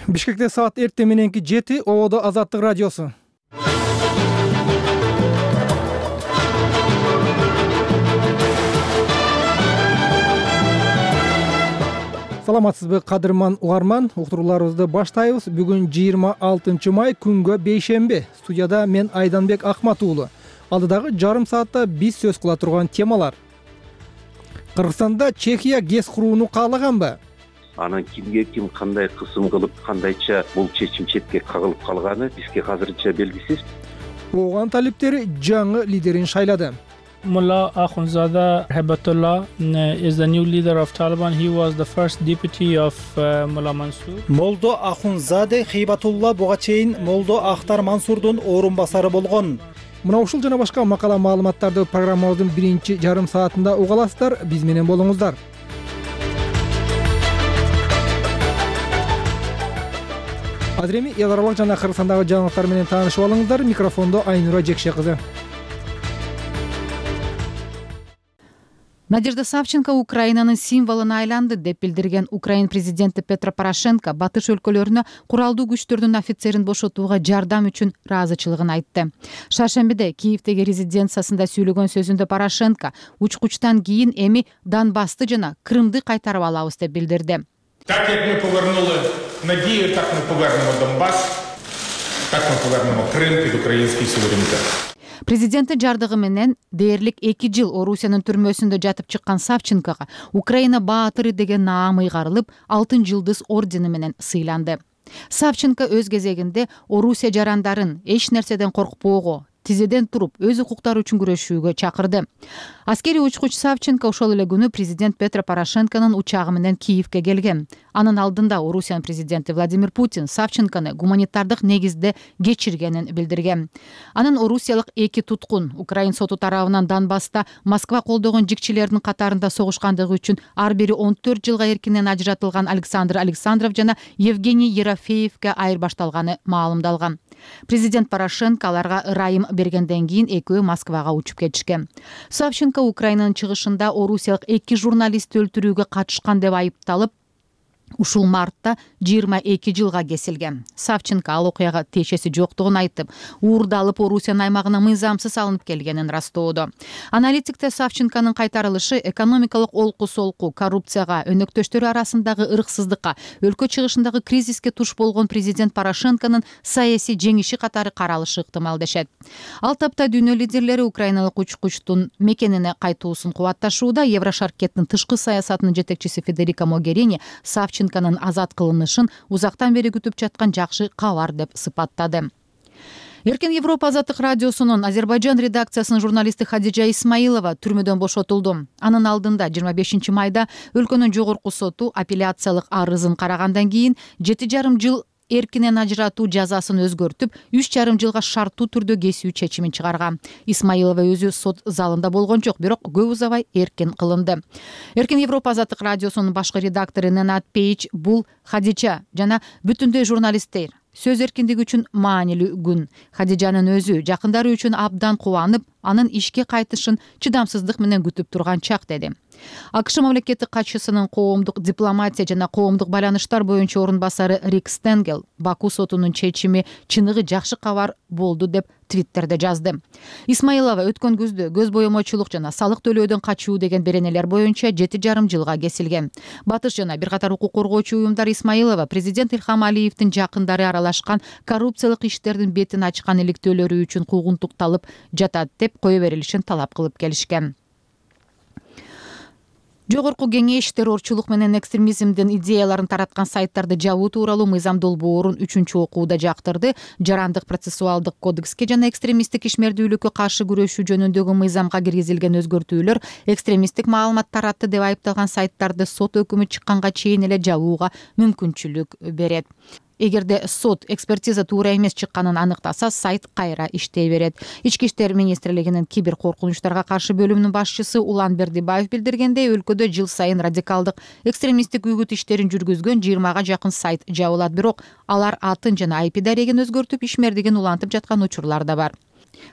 Бишкекте саат эртең мененки 7, ободо Азаттык радиосу. Саламатсызбы, кадырман угарман? Уктурууларыбызды баштайбыз. Бүгүн 26 май, күнгө бейшемби. Студияда мен Айданбек Акмат уулу. Алдыдагы жарым саатта биз сөз кыла турган темалар. Кыргызстанда Чехия ГЭС курууну каалаганбы? Анан кимге ким кандай кысым кылып, кандайча бул чечим четке кагылып калганы бизге азырынча белгисиз. Ооган талиптери жаңы лидерин шайлады. Mullah Akhundzada Hibatullah is the new leader of Taliban. He was the first deputy of Mullah Mansur. Молдо Ахунзаде Хибатулла буга чейин Молдо Ахтар Мансурдун орун басары болгон. Мына ушул жана башка макала маалыматтарды программабыздын биринчи жарым саатында уга аласыздар. Биз менен болуңуздар. Азыр эми эл аралык жана Кыргызстандагы жаңылыктар менен таанышып алыңыздар. Микрофондо Айнура Жекше кызы. Надежда Савченко Украинанын символуна айланды деп билдирген Украин президенти Петро Порошенко батыш өлкөлөрүнө куралдуу күчтөрдүн офицерин бошотууга жардам үчүн ыраазычылыгын айтты. Шаршембиде Киевдеги резиденциясында сүйлөгөн сөзүндө Порошенко учкучтан кийин эми Донбассты жана Крымды кайтарып алабыз деп билдирди. Так як ми повернули надію, так ми повернемо Донбас, так ми повернемо Крим під український суверенітет. Президенттин жардыгы менен дээрлик 2 жыл Орусиянын түрмөсүндө жатып чыккан Савченкого Украина баатыры деген наам ыйгарылып, алтын жылдыз ордени менен сыйланды. Савченко өз кезегинде Орусия жарандарын эч нерседен коркпоого, тизеден туруп өз укуктары үчүн күрөшүүгө чакырды. Аскерий учкуч Савченко ошол эле күнү президент Петро Порошенконун учагы менен Киевге келген. Анын алдында Орусиянын президенти Владимир Путин Савченкону гуманитардык негизде кечиргенин билдирген. Анын орусиялык 2 туткун Украин соту тарабынан Донбасста Москва колдогон жикчилердин катарында согушкандыгы үчүн ар бири 14 жылга эркинен ажыратылган Александр Александров жана Евгений Ерофеевге айырбашталганы маалымдалган. Президент Порошенко аларга ырайым бергенден кийин экөө Москвага учуп кетишкен. Савченко Украинанын чыгышында орусиялык 2 журналистти өлтүрүүгө катышкан деп айыпталып, ушул мартта 22 жылга кесилген. Савченко ал окуяга тиешеси жоктугун айтып, уурдалып Орусиянын аймагына мыйзамсыз алынып келгенин растоодо. Аналитиктер Савченконун кайтарылышы экономикалык олку-солку, коррупцияга, өнөктөштөрү арасындагы ырксыздыкка, өлкө чыгышындагы кризиске туш болгон президент Порошенконун саясий жеңиши катары каралышы ыктымал дешет. Ал тапта дүйнө лидерлери украиналык учкучтун мекенине кайтуусун кубатташууда. Еврошаркеттин тышкы саясатынын жетекчиси Федерико Могерини Савченконун азат кылынышын узактан бери күтүп жаткан жакшы кабар деп сыпаттады. Эркин Европа Азаттык радиосунун Азербайжан редакциясынын журналисти Хадижа Исмаилова түрмөдөн бошотулду. Анын алдында 25 майда өлкөнүн жогорку соту апелляциялык арызын карагандан кийин 7,5 жыл эркинен ажыратуу жазасын өзгөртүп, 3,5 жылга шарттуу түрдө кесүү чечимин чыгарган. Исмаилова өзү сот залында болгон жок, бирок көп узабай эркин кылынды. Эркин Европа Азаттык радиосунун башкы редактору Ненат Пейч бул Хадижа жана бүтүндөй журналисттер сөз эркиндиги үчүн маанилүү күн. Хадижанын өзү жакындары үчүн абдан кубанып, анын ишке кайтышын чыдамсыздык менен күтүп турган чак деди. АКШ мамлекеттик катчысынын коомдук дипломатия жана коомдук байланыштар боюнча орун басары Рик Стенгел Баку сотунун чечими чыныгы жакшы кабар болду деп Твиттерде жазды. Исмаилова өткөн күздө көз боемочулук жана салык төлөөдөн качуу деген беренелер боюнча 7,5 жылга кесилген. Батыш жана бир катар укук коргоочу уюмдар Исмаилова президент Илхам Алиевдин жакындары аралашкан коррупциялык иштердин бетин ачкан иликтөөлөрү үчүн куугунтукталып жатат деп кое берилишин талап кылып келишкен. Жогорку кеңеш террорчулук менен экстремизмдин идеяларын тараткан сайттарды жабуу тууралуу мыйзам долбоорун 3-чү окууда жактырды. Жарандык процессуалдык кодекске жана экстремисттик ишмердүүлүккө каршы күрөшүү жөнүндөгү мыйзамга киргизилген өзгөртүүлөр экстремисттик маалымат таратты деп айыпталган сайттарды сот өкүмү чыкканга чейин эле жабууга мүмкүнчүлүк берет. Эгерде сот экспертиза туура эмес чыкканын аныктаса, сайт кайра иштей берет. Ички иштер министрлигинин кибер коркунучтарга каршы бөлүмүнүн башчысы Улан Бердибаев билдиргендей, өлкөдө жыл сайын радикалдык экстремисттик үгүт иштерин жүргүзгөн 20га жакын сайт жабылат, бирок алар атын жана IP дарегин өзгөртүп ишмердигин улантып жаткан учурлар да бар.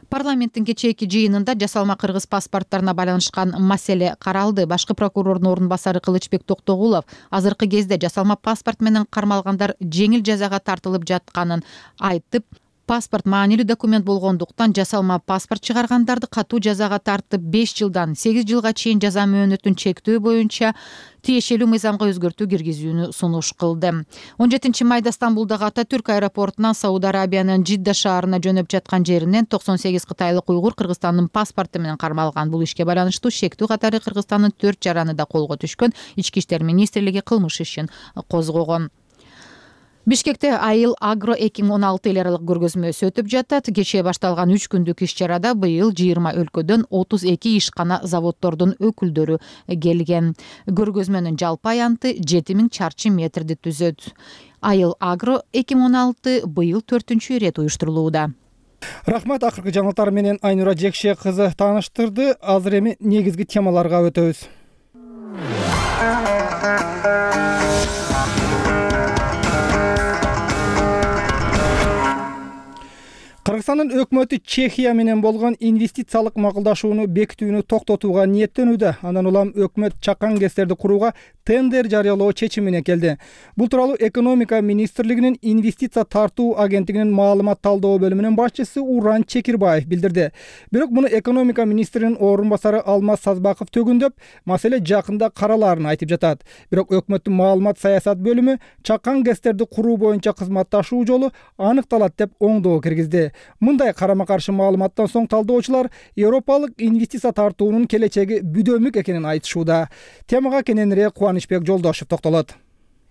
Парламенттин кечээки жыйынында жасалма кыргыз паспорттарына байланышкан маселе каралды. Башкы прокурордун орун басары Кылычбек Токтогулов азыркы кезде жасалма паспорт менен кармалгандар жеңил жазага тартылып жатканын айтып, паспорт маанилүү документ болгондуктан жасалма паспорт чыгаргандарды катуу жазага тартып 5 жылдан 8 жылга чейин жаза мөөнөтүн чектөө боюнча тиешелүү мыйзамга өзгөртүү киргизүүнү сунуш кылды. 17-майда Стамбулдагы Ататүрк аэропортунан Сауд Арабиянын Жидда шаарына жөнөп жаткан жеринен 98 кытайлык уйгур Кыргызстандын паспорту менен кармалган. Бул ишке байланыштуу шектүү катары Кыргызстандын 4 жараны да колго түшкөн. Ички иштер министрлиги кылмыш ишин козгогон. Бишкекте Айыл Агро 2016 эл аралык көргөзмөсү өтүп жатат. Кечээ башталган 3 күндүк иш-чарада быйыл 20 өлкөдөн 32 ишкана заводдордун өкүлдөрү келген. Көргөзмөнүн жалпы аянты 7000 чарчы метрди түзөт. Айыл Агро 2016 быйыл 4-үчү ирет уюштурулууда. Рахмат, акыркы жаңылыктар менен Айнура Жекше кызы тааныштырды. Азыр эми негизги темаларга өтөбүз. Кыргызстандын өкмөтү Чехия менен болгон инвестициялык макулдашууну бекитүүнү токтотууга ниеттенүүдө. Андан улам өкмөт чакан ГЭСтерди курууга тендер жарыялоо чечимине келди. Бул тууралуу экономика министрлигинин инвестиция тартуу агенттигинин маалымат талдоо бөлүмүнүн башчысы Уран Чекирбаев билдирди. Бирок муну экономика министринин орун басары Алмаз Сазбаков төгүндөп, маселе жакында каралаарын айтып жатат. Бирок өкмөттүн маалымат саясат бөлүмү чакан ГЭСтерди куруу боюнча кызматташуу жолу аныкталат деп оңдоо киргизди. Мындай карама-каршы маалыматтан соң талдоочулар Европалык инвестиция тартуунун келечеги бүдөмүк экенин айтышууда. Темага кененирээк Кубанычбек Жолдошев токтолот.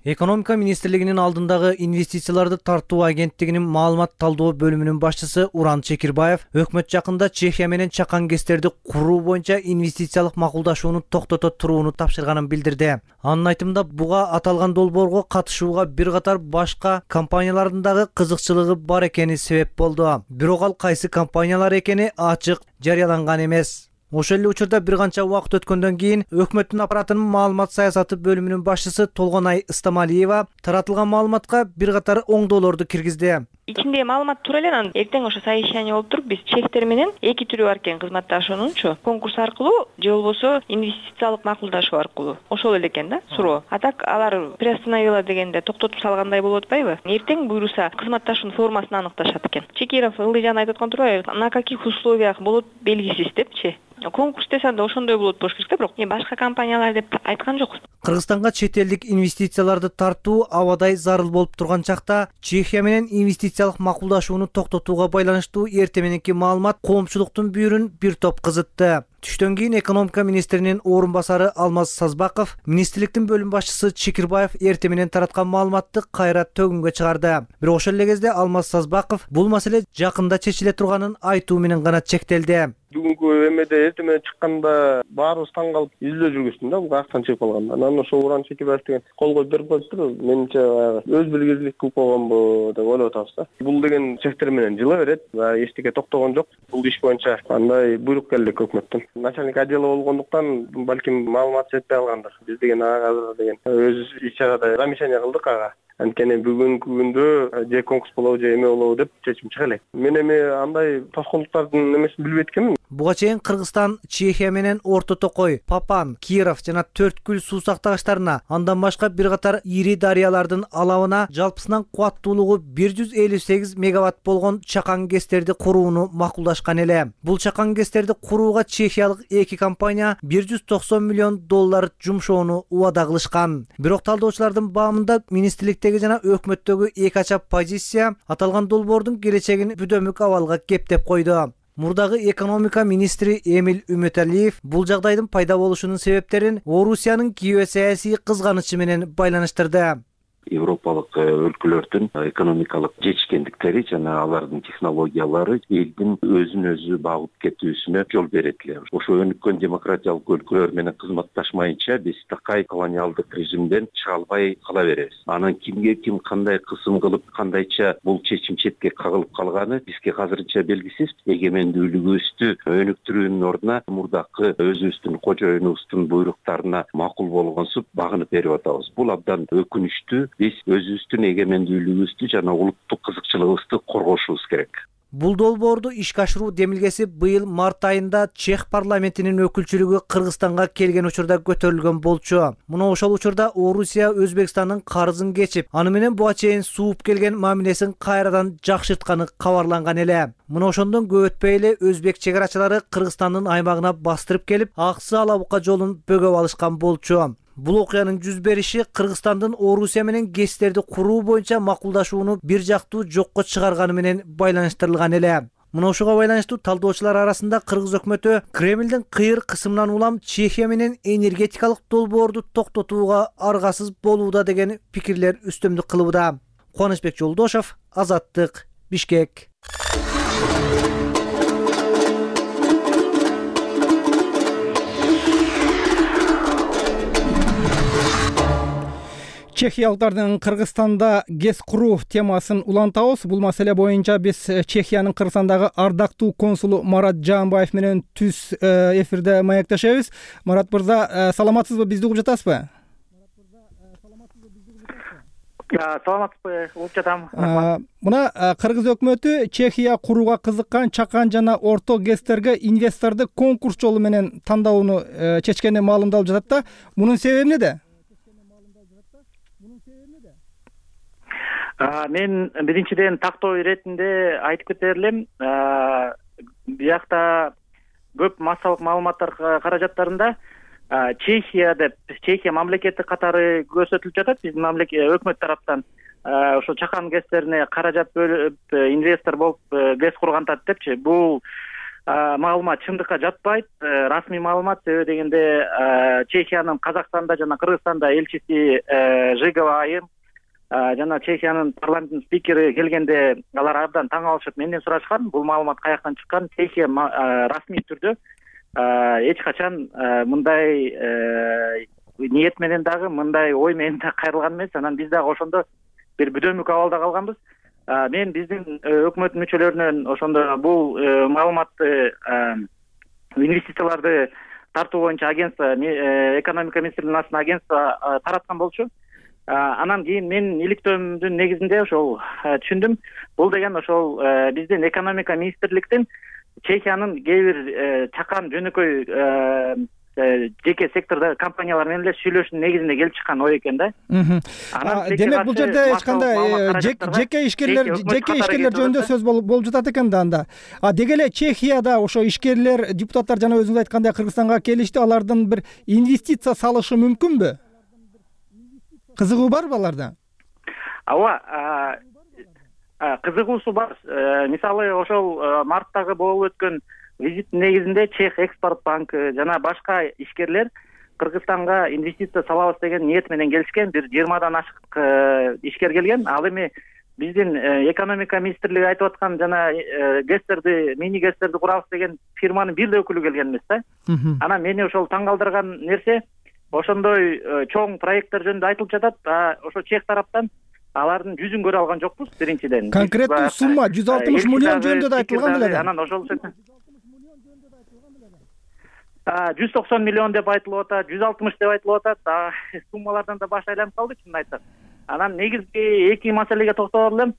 Экономика министрлигинин алдындагы инвестицияларды тартуу агенттигинин маалымат талдоо бөлүмүнүн башчысы Уран Чекирбаев өкмөт жакында Чехия менен чакан ГЭСтерди куруу боюнча инвестициялык макулдашууну токтото турууну тапшырганын билдирди. Анын айтымында буга аталган долбоорго катышууга бир катар башка компаниялардын дагы кызыкчылыгы бар экени себеп болду. Бирок ал кайсы компаниялар экени ачык жарыяланган эмес. Ошол эле учурда бир канча убакыт өткөндөн кийин өкмөттүн аппаратынын маалымат саясаты бөлүмүнүн башчысы Толгонай Ыстамалиева таратылган маалыматка бир катар оңдоолорду киргизди. Ичинде маалымат туура эле, анан эртең ошо совещание болуп туруп биз чехтер менен эки түрү бар экен кызматташуунунчу. Конкурс аркылуу же болбосо инвестициялык макулдашуу аркылуу. Ошол эле экен да суроо. А так алар приостановила дегенде токтотуп салгандай болуп атпайбы? Эртең буйруса кызматташуунун формасын аныкташат экен. Чекиров Ылдыжан айтып аткан турбайбы? На каких условиях болот белгисиз депчи. Конкурс десе анда ошондой болот болуш керек да, бирок башка компаниялар деп айткан жок. Кыргызстанга чет элдик инвестицияларды тартуу абадай зарыл болуп турган чакта Чехия менен инвестициялык макулдашууну токтотууга байланыштуу эрте мененки маалымат коомчулуктун бүйүрүн бир топ кызытты. Түштөн кийин экономика министринин орун басары Алмаз Сазбаков министрликтин бөлүм башчысы Чекирбаев эрте менен тараткан маалыматты кайра төгүнгө чыгарды. Бирок ошол эле кезде Алмаз Сазбаков бул маселе жакында чечиле турганын айтуу менен гана чектелди. Бүгүнкү эмеде эрте менен чыкканда баарыбыз таң калып изилдөө жүргүздүм да, бул каяктан чыгып калган. Анан ошо Уран Чекирбаев деген кол коюп берип коюптур. Менимче өз билгизлик кылып койгонбу деп ойлоп атабыз да. Бул деген чектер менен жыла берет, эчтеке токтогон жок. Бул иш боюнча андай буйрук келди өкмөттөн. Начальник отдела болгондуктан балким маалымат жетпей калгандыр. Биз деген ага деген өз иш-чарада замечание кылдык ага. Анткени бүгүнкү күндө же конкурс болобу же эме болобу деп чечим чыга элек. Мен эми андай тоскоолдуктардын эмесин билбейт экенмин. Буга чейин Кыргызстан Чехия менен Орто Токой, Папан, Киров жана Төрткүл суу сактагычтарына, андан башка бир катар ири дарыялардын алабына жалпысынан кубаттуулугу 158 мегаватт болгон чакан ГЭСтерди курууну макулдашкан эле. Бул чакан ГЭСтерди курууга чехиялык эки компания $190 миллион жумшоону убада кылышкан. Бирок талдоочулардын баамында министрликтеги жана өкмөттөгү эки ачап позиция аталган долбоордун келечегин бүдөмүк абалга кептеп койду. Мурдагы экономика министри Эмил Үмөталиев бул жагдайдын пайда болушунун себептерин Орусиянын геосаясий кызганычы менен байланыштырды. Европалык өлкөлөрдүн экономикалык жетишкендиктери жана алардын технологиялары элдин өзүн өзү багып кетүүсүнө жол берет эле. Ошо өнүккөн демократиялык өлкөлөр менен кызматташмайынча биз такай колониалдык режимден чыга албай кала беребиз. Анан кимге ким кандай кысым кылып, кандайча бул чечим четке кагылып калганы бизге азырынча белгисиз. Эгемендүүлүгүбүздү өнүктүрүүнүн ордуна мурдакы өзүбүздүн кожоюнубуздун буйруктарына макул болгонсуп багынып берип атабыз. Бул абдан өкүнүчтүү. Биз өзүбүздүн эгемендүүлүгүбүздү жана улуттук кызыкчылыгыбызды коргошубуз керек. Бул долбоорду ишке ашыруу демилгеси быйыл март айында Чех парламентинин өкүлчүлүгү Кыргызстанга келген учурда көтөрүлгөн болчу. Мына ошол учурда Орусия Өзбекстандын карызын кечип, аны менен буга чейин сууп келген мамилесин кайрадан жакшыртканы кабарланган эле. Мына ошондон көп өтпөй эле өзбек чек арачылары Кыргызстандын аймагына бастырып келип, Аксы Алабука жолун бөгөп алышкан болчу. Бул окуянын жүз бериши Кыргызстандын Орусия менен ГЭСтерди куруу боюнча макулдашууну бир жактуу жокко чыгарганы менен байланыштырылган эле. Мына ошого байланыштуу талдоочулар арасында Кыргыз өкмөтү Кремлдин кыйыр кысымынан улам Чехия менен энергетикалык долбоорду токтотууга аргасыз болууда деген пикирлер үстөмдүк кылууда. Кубанычбек Жолдошов, Азаттык, Бишкек. Чехиялыктардын Кыргызстанда ГЭС куруу темасын улантабыз. Бул маселе боюнча биз Чехиянын Кыргызстандагы ардактуу консулу Марат Жаанбаев менен түз эфирде маектешебиз. Марат мырза, саламатсызбы? Бизди угуп жатасызбы? Саламатсызбы, угуп жатам. Мына Кыргыз өкмөтү Чехия курууга кызыккан чакан жана орто ГЭСтерге инвесторду конкурс жолу менен тандоону чечкени маалымдалып жатат да. Мунун себеби эмнеде? Мен биринчиден тактоо иретинде айтып кетер элем, биякта көп массалык маалыматтар каражаттарында Чехия деп, Чехия мамлекети катары көрсөтүлүп жатат биздин өкмөт тараптан. Ошо чакан ГЭСтерине каражат бөлүп, инвестор болуп ГЭС кургантат депчи. Бул маалымат чындыкка жатпайт. Расмий маалымат, себеби дегенде Чехиянын Казакстанда жана Кыргызстанда элчиси Жигова айым жана Чехиянын парламентинин спикери келгенде алар абдан таң калышып менден сурашкан, бул маалымат каяктан чыккан. Чехия расмий түрдө эч качан мындай ниет менен дагы, мындай ой менен да кайрылган эмес. Анан биз дагы ошондо бир бүдөмүк абалда калганбыз. Мен биздин өкмөт мүчөлөрүнөн ошондо бул маалыматты инвестицияларды тартуу боюнча агентство, экономика министрлигинин астына агентство тараткан болчу. Анан кийин мен иликтөөмдүн негизинде ошол түшүндүм. Бул деген ошол биздин экономика министрликтин Чехиянын кээ бир чакан жөнөкөй жеке сектордогу компаниялар менен эле сүйлөшүүнүн негизинде келип чыккан ой экен да. Демек бул жерде эч кандай жеке ишкерлер жөнүндө сөз болуп жатат экен да анда. Деги эле Чехияда ошо ишкерлер, депутаттар жана өзүңүз айткандай Кыргызстанга келишти, алардын бир инвестиция салышы мүмкүнбү? Кызыгуу барбы аларда? Ооба, кызыгуусу бар. Мисалы ошол марттагы болуп өткөн визиттин негизинде Чех экспорт банкы жана башка ишкерлер Кыргызстанга инвестиция салабыз деген ниет менен келишкен. Бир 20дан ашык ишкер келген. Ал эми биздин экономика министрлиги айтып аткан жана ГЭСтерди, мини ГЭСтерди курабыз деген фирманын бир да өкүлү келген эмес да. Анан мени ошол таң калтырган нерсе, ошондой чоң проекттер жөнүндө айтылып жатат. Ошо Чех тараптан алардын жүзүн көрө алган жокпуз биринчиден. Конкреттүү сумма 160 миллион жөнүндө да айтылган беле. Анан ошол 190 миллион деп айтылып атат, 160 деп айтылып атат. Суммалардан да баш айланып калды, чынын айтсак. Анан негизги эки маселеге токтолор элем.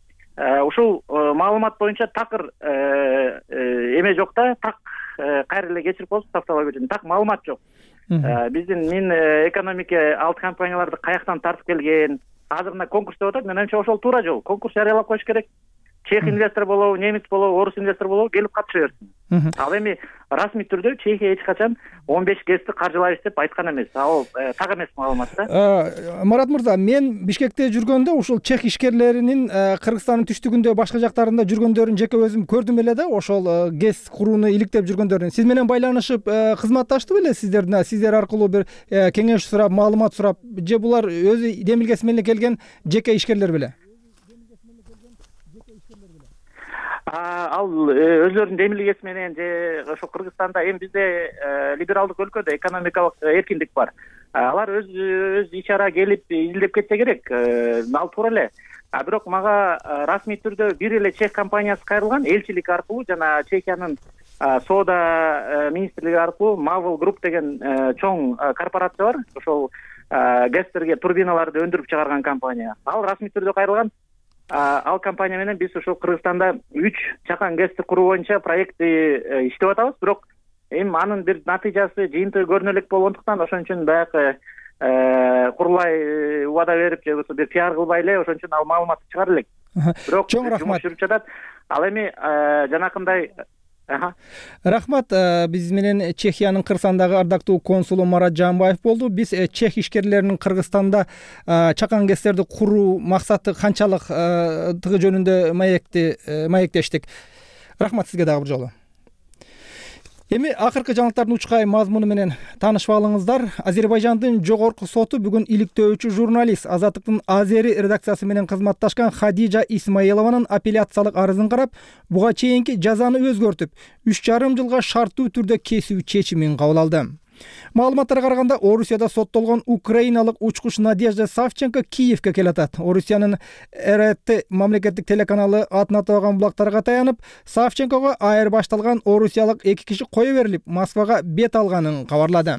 Ушул маалымат боюнча такыр эме жок да, так кайра эле кечирип коесуз, тавталап кетем. Так маалымат жок. Биздин экономика алты компанияларды каяктан тартып келген, азыр мына конкурс деп атат. Менимче ошол туура жол. Конкурс жарыялап коюш керек. Чех инвестор болобу, немец болобу, орус инвестор болобу келип катыша берсин. Ал эми расмий түрдө Чехия эч качан 15 ГЭСти каржылайбыз деп айткан эмес. Ал так эмес маалымат да. Марат мырза, мен Бишкекте жүргөндө ушул чех ишкерлеринин Кыргызстандын түштүгүндө, башка жактарында жүргөндөрүн жеке өзүм көрдүм эле да, ошол ГЭС курууну иликтеп жүргөндөрүн. Сиз менен байланышып кызматташты беле сиздердин? Сиздер аркылуу бир кеңеш сурап, маалымат сурап, же булар өзү демилгеси менен келген жеке ишкерлер беле? Ал өзлөрүнүн демилгеси менен же ошо Кыргызстанда эми бизде либералдык өлкөдө экономикалык эркиндик бар. Алар өз ичара келип изилдеп кетсе керек. Ал туура эле. Бирок мага расмий түрдө бир эле чех компаниясы кайрылган, элчилик аркылуу жана Чехиянын соода министрлиги аркылуу Marvel Group деген чоң корпорация бар. Ошол ГЭСтерге турбиналарды өндүрүп чыгарган компания. Ал расмий түрдө кайрылган. Ал компания менен биз ушул Кыргызстанда 3 чакан ГЭСти куруу боюнча проектти иштеп атабыз. Бирок эми анын бир натыйжасы, жыйынтыгы көрүнө элек болгондуктан ошон үчүн баягы курулай убада берип же болбосо бир пиар кылбай эле ошон үчүн ал маалыматты чыгара элек. Бирок чоң рахмат. Жумуш жүрүп жатат. Ал эми жанакындай Рахмат. Биз менен Чехиянын Кыргызстандагы ардактуу консулу Марат Жаанбаев болду. Биз чех ишкерлеринин Кыргызстанда чакан ГЭСтерди куруу максаты канчалыктыгы жөнүндө маектештик. Рахмат сизге дагы бир жолу. Эми акыркы жаңылыктардын учкай мазмуну менен таанышып алыңыздар. Азербайжандын жогорку соту бүгүн иликтөөчү журналист Азаттыктын Азери редакциясы менен кызматташкан Хадижа Исмаилованын апелляциялык арызын карап, буга чейинки жазаны өзгөртүп, 3,5 жылга шарттуу түрдө кесүү чечимин кабыл алды. Маалыматтарга караганда, Орусияда соттолгон украиналык учкуч Надежда Савченко Киевке келатат. Орусиянын РТ мамлекеттик телеканалы атын атабаган булактарга таянып, Савченкого айырбашталган орусиялык 2 киши кое берилип, Москвага бет алганын кабарлады.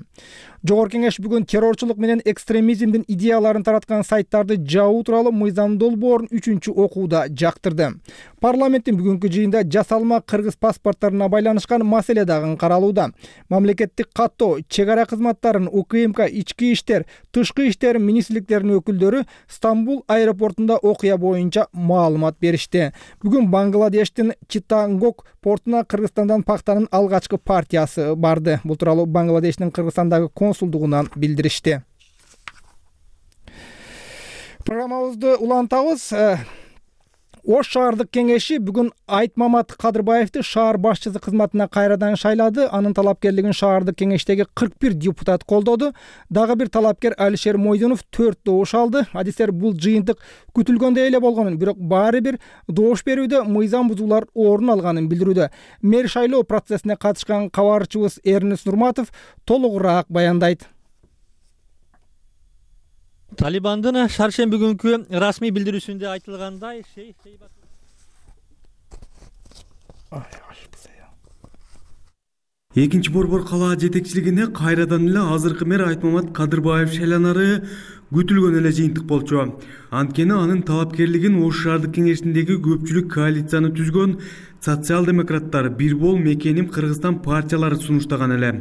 Жогорку кеңеш бүгүн террорчулук менен экстремизмдин идеяларын тараткан сайттарды жабуу тууралуу мыйзам долбоорун 3-окууда жактырды. Парламенттин бүгүнкү жыйында жасалма кыргыз паспорттарына байланышкан маселе дагы каралууда. Мамлекеттик каттоо, чек ара кызматтарынын УКМК, ички иштер, тышкы иштер министрликтеринин өкүлдөрү Стамбул аэропортунда окуя боюнча маалымат беришти. Бүгүн Бангладештин Читтагонг портуна Кыргызстандан пактанын алгачкы партиясы барды. Бул тууралуу Бангладештин Кыргызстандагы консулдугунан билдиришти. Программабызды улантабыз. Ош шаардык кеңеши бүгүн Айтмамат Кадырбаевди шаар башчысы кызматына кайрадан шайлады. Анын талапкерлигин шаардык кеңештеги 41 депутат колдоду. Дагы бир талапкер Алишер Мойдунов 4 добуш алды. Адистер бул жыйынтык күтүлгөндөй эле болгонун, бирок баары бир добуш берүүдө мыйзам бузуулар орун алганын билдирүүдө. Мэр шайлоо процессине катышкан кабарчыбыз Эрнес Нурматов толугураак баяндайт. Талибандын шаршемби күнкү расмий билдирүүсүндө айтылгандай, экинчи борбор калаа жетекчилигине кайрадан эле азыркы мэр Айтмамат Кадырбаев шайланары күтүлгөн эле жыйынтык болчу. Анткени анын талапкерлигин Ош шаардык кеңешиндеги көпчүлүк коалицияны түзгөн социал-демократтар, Бир бол Мекеним Кыргызстан партиялары сунуштаган эле.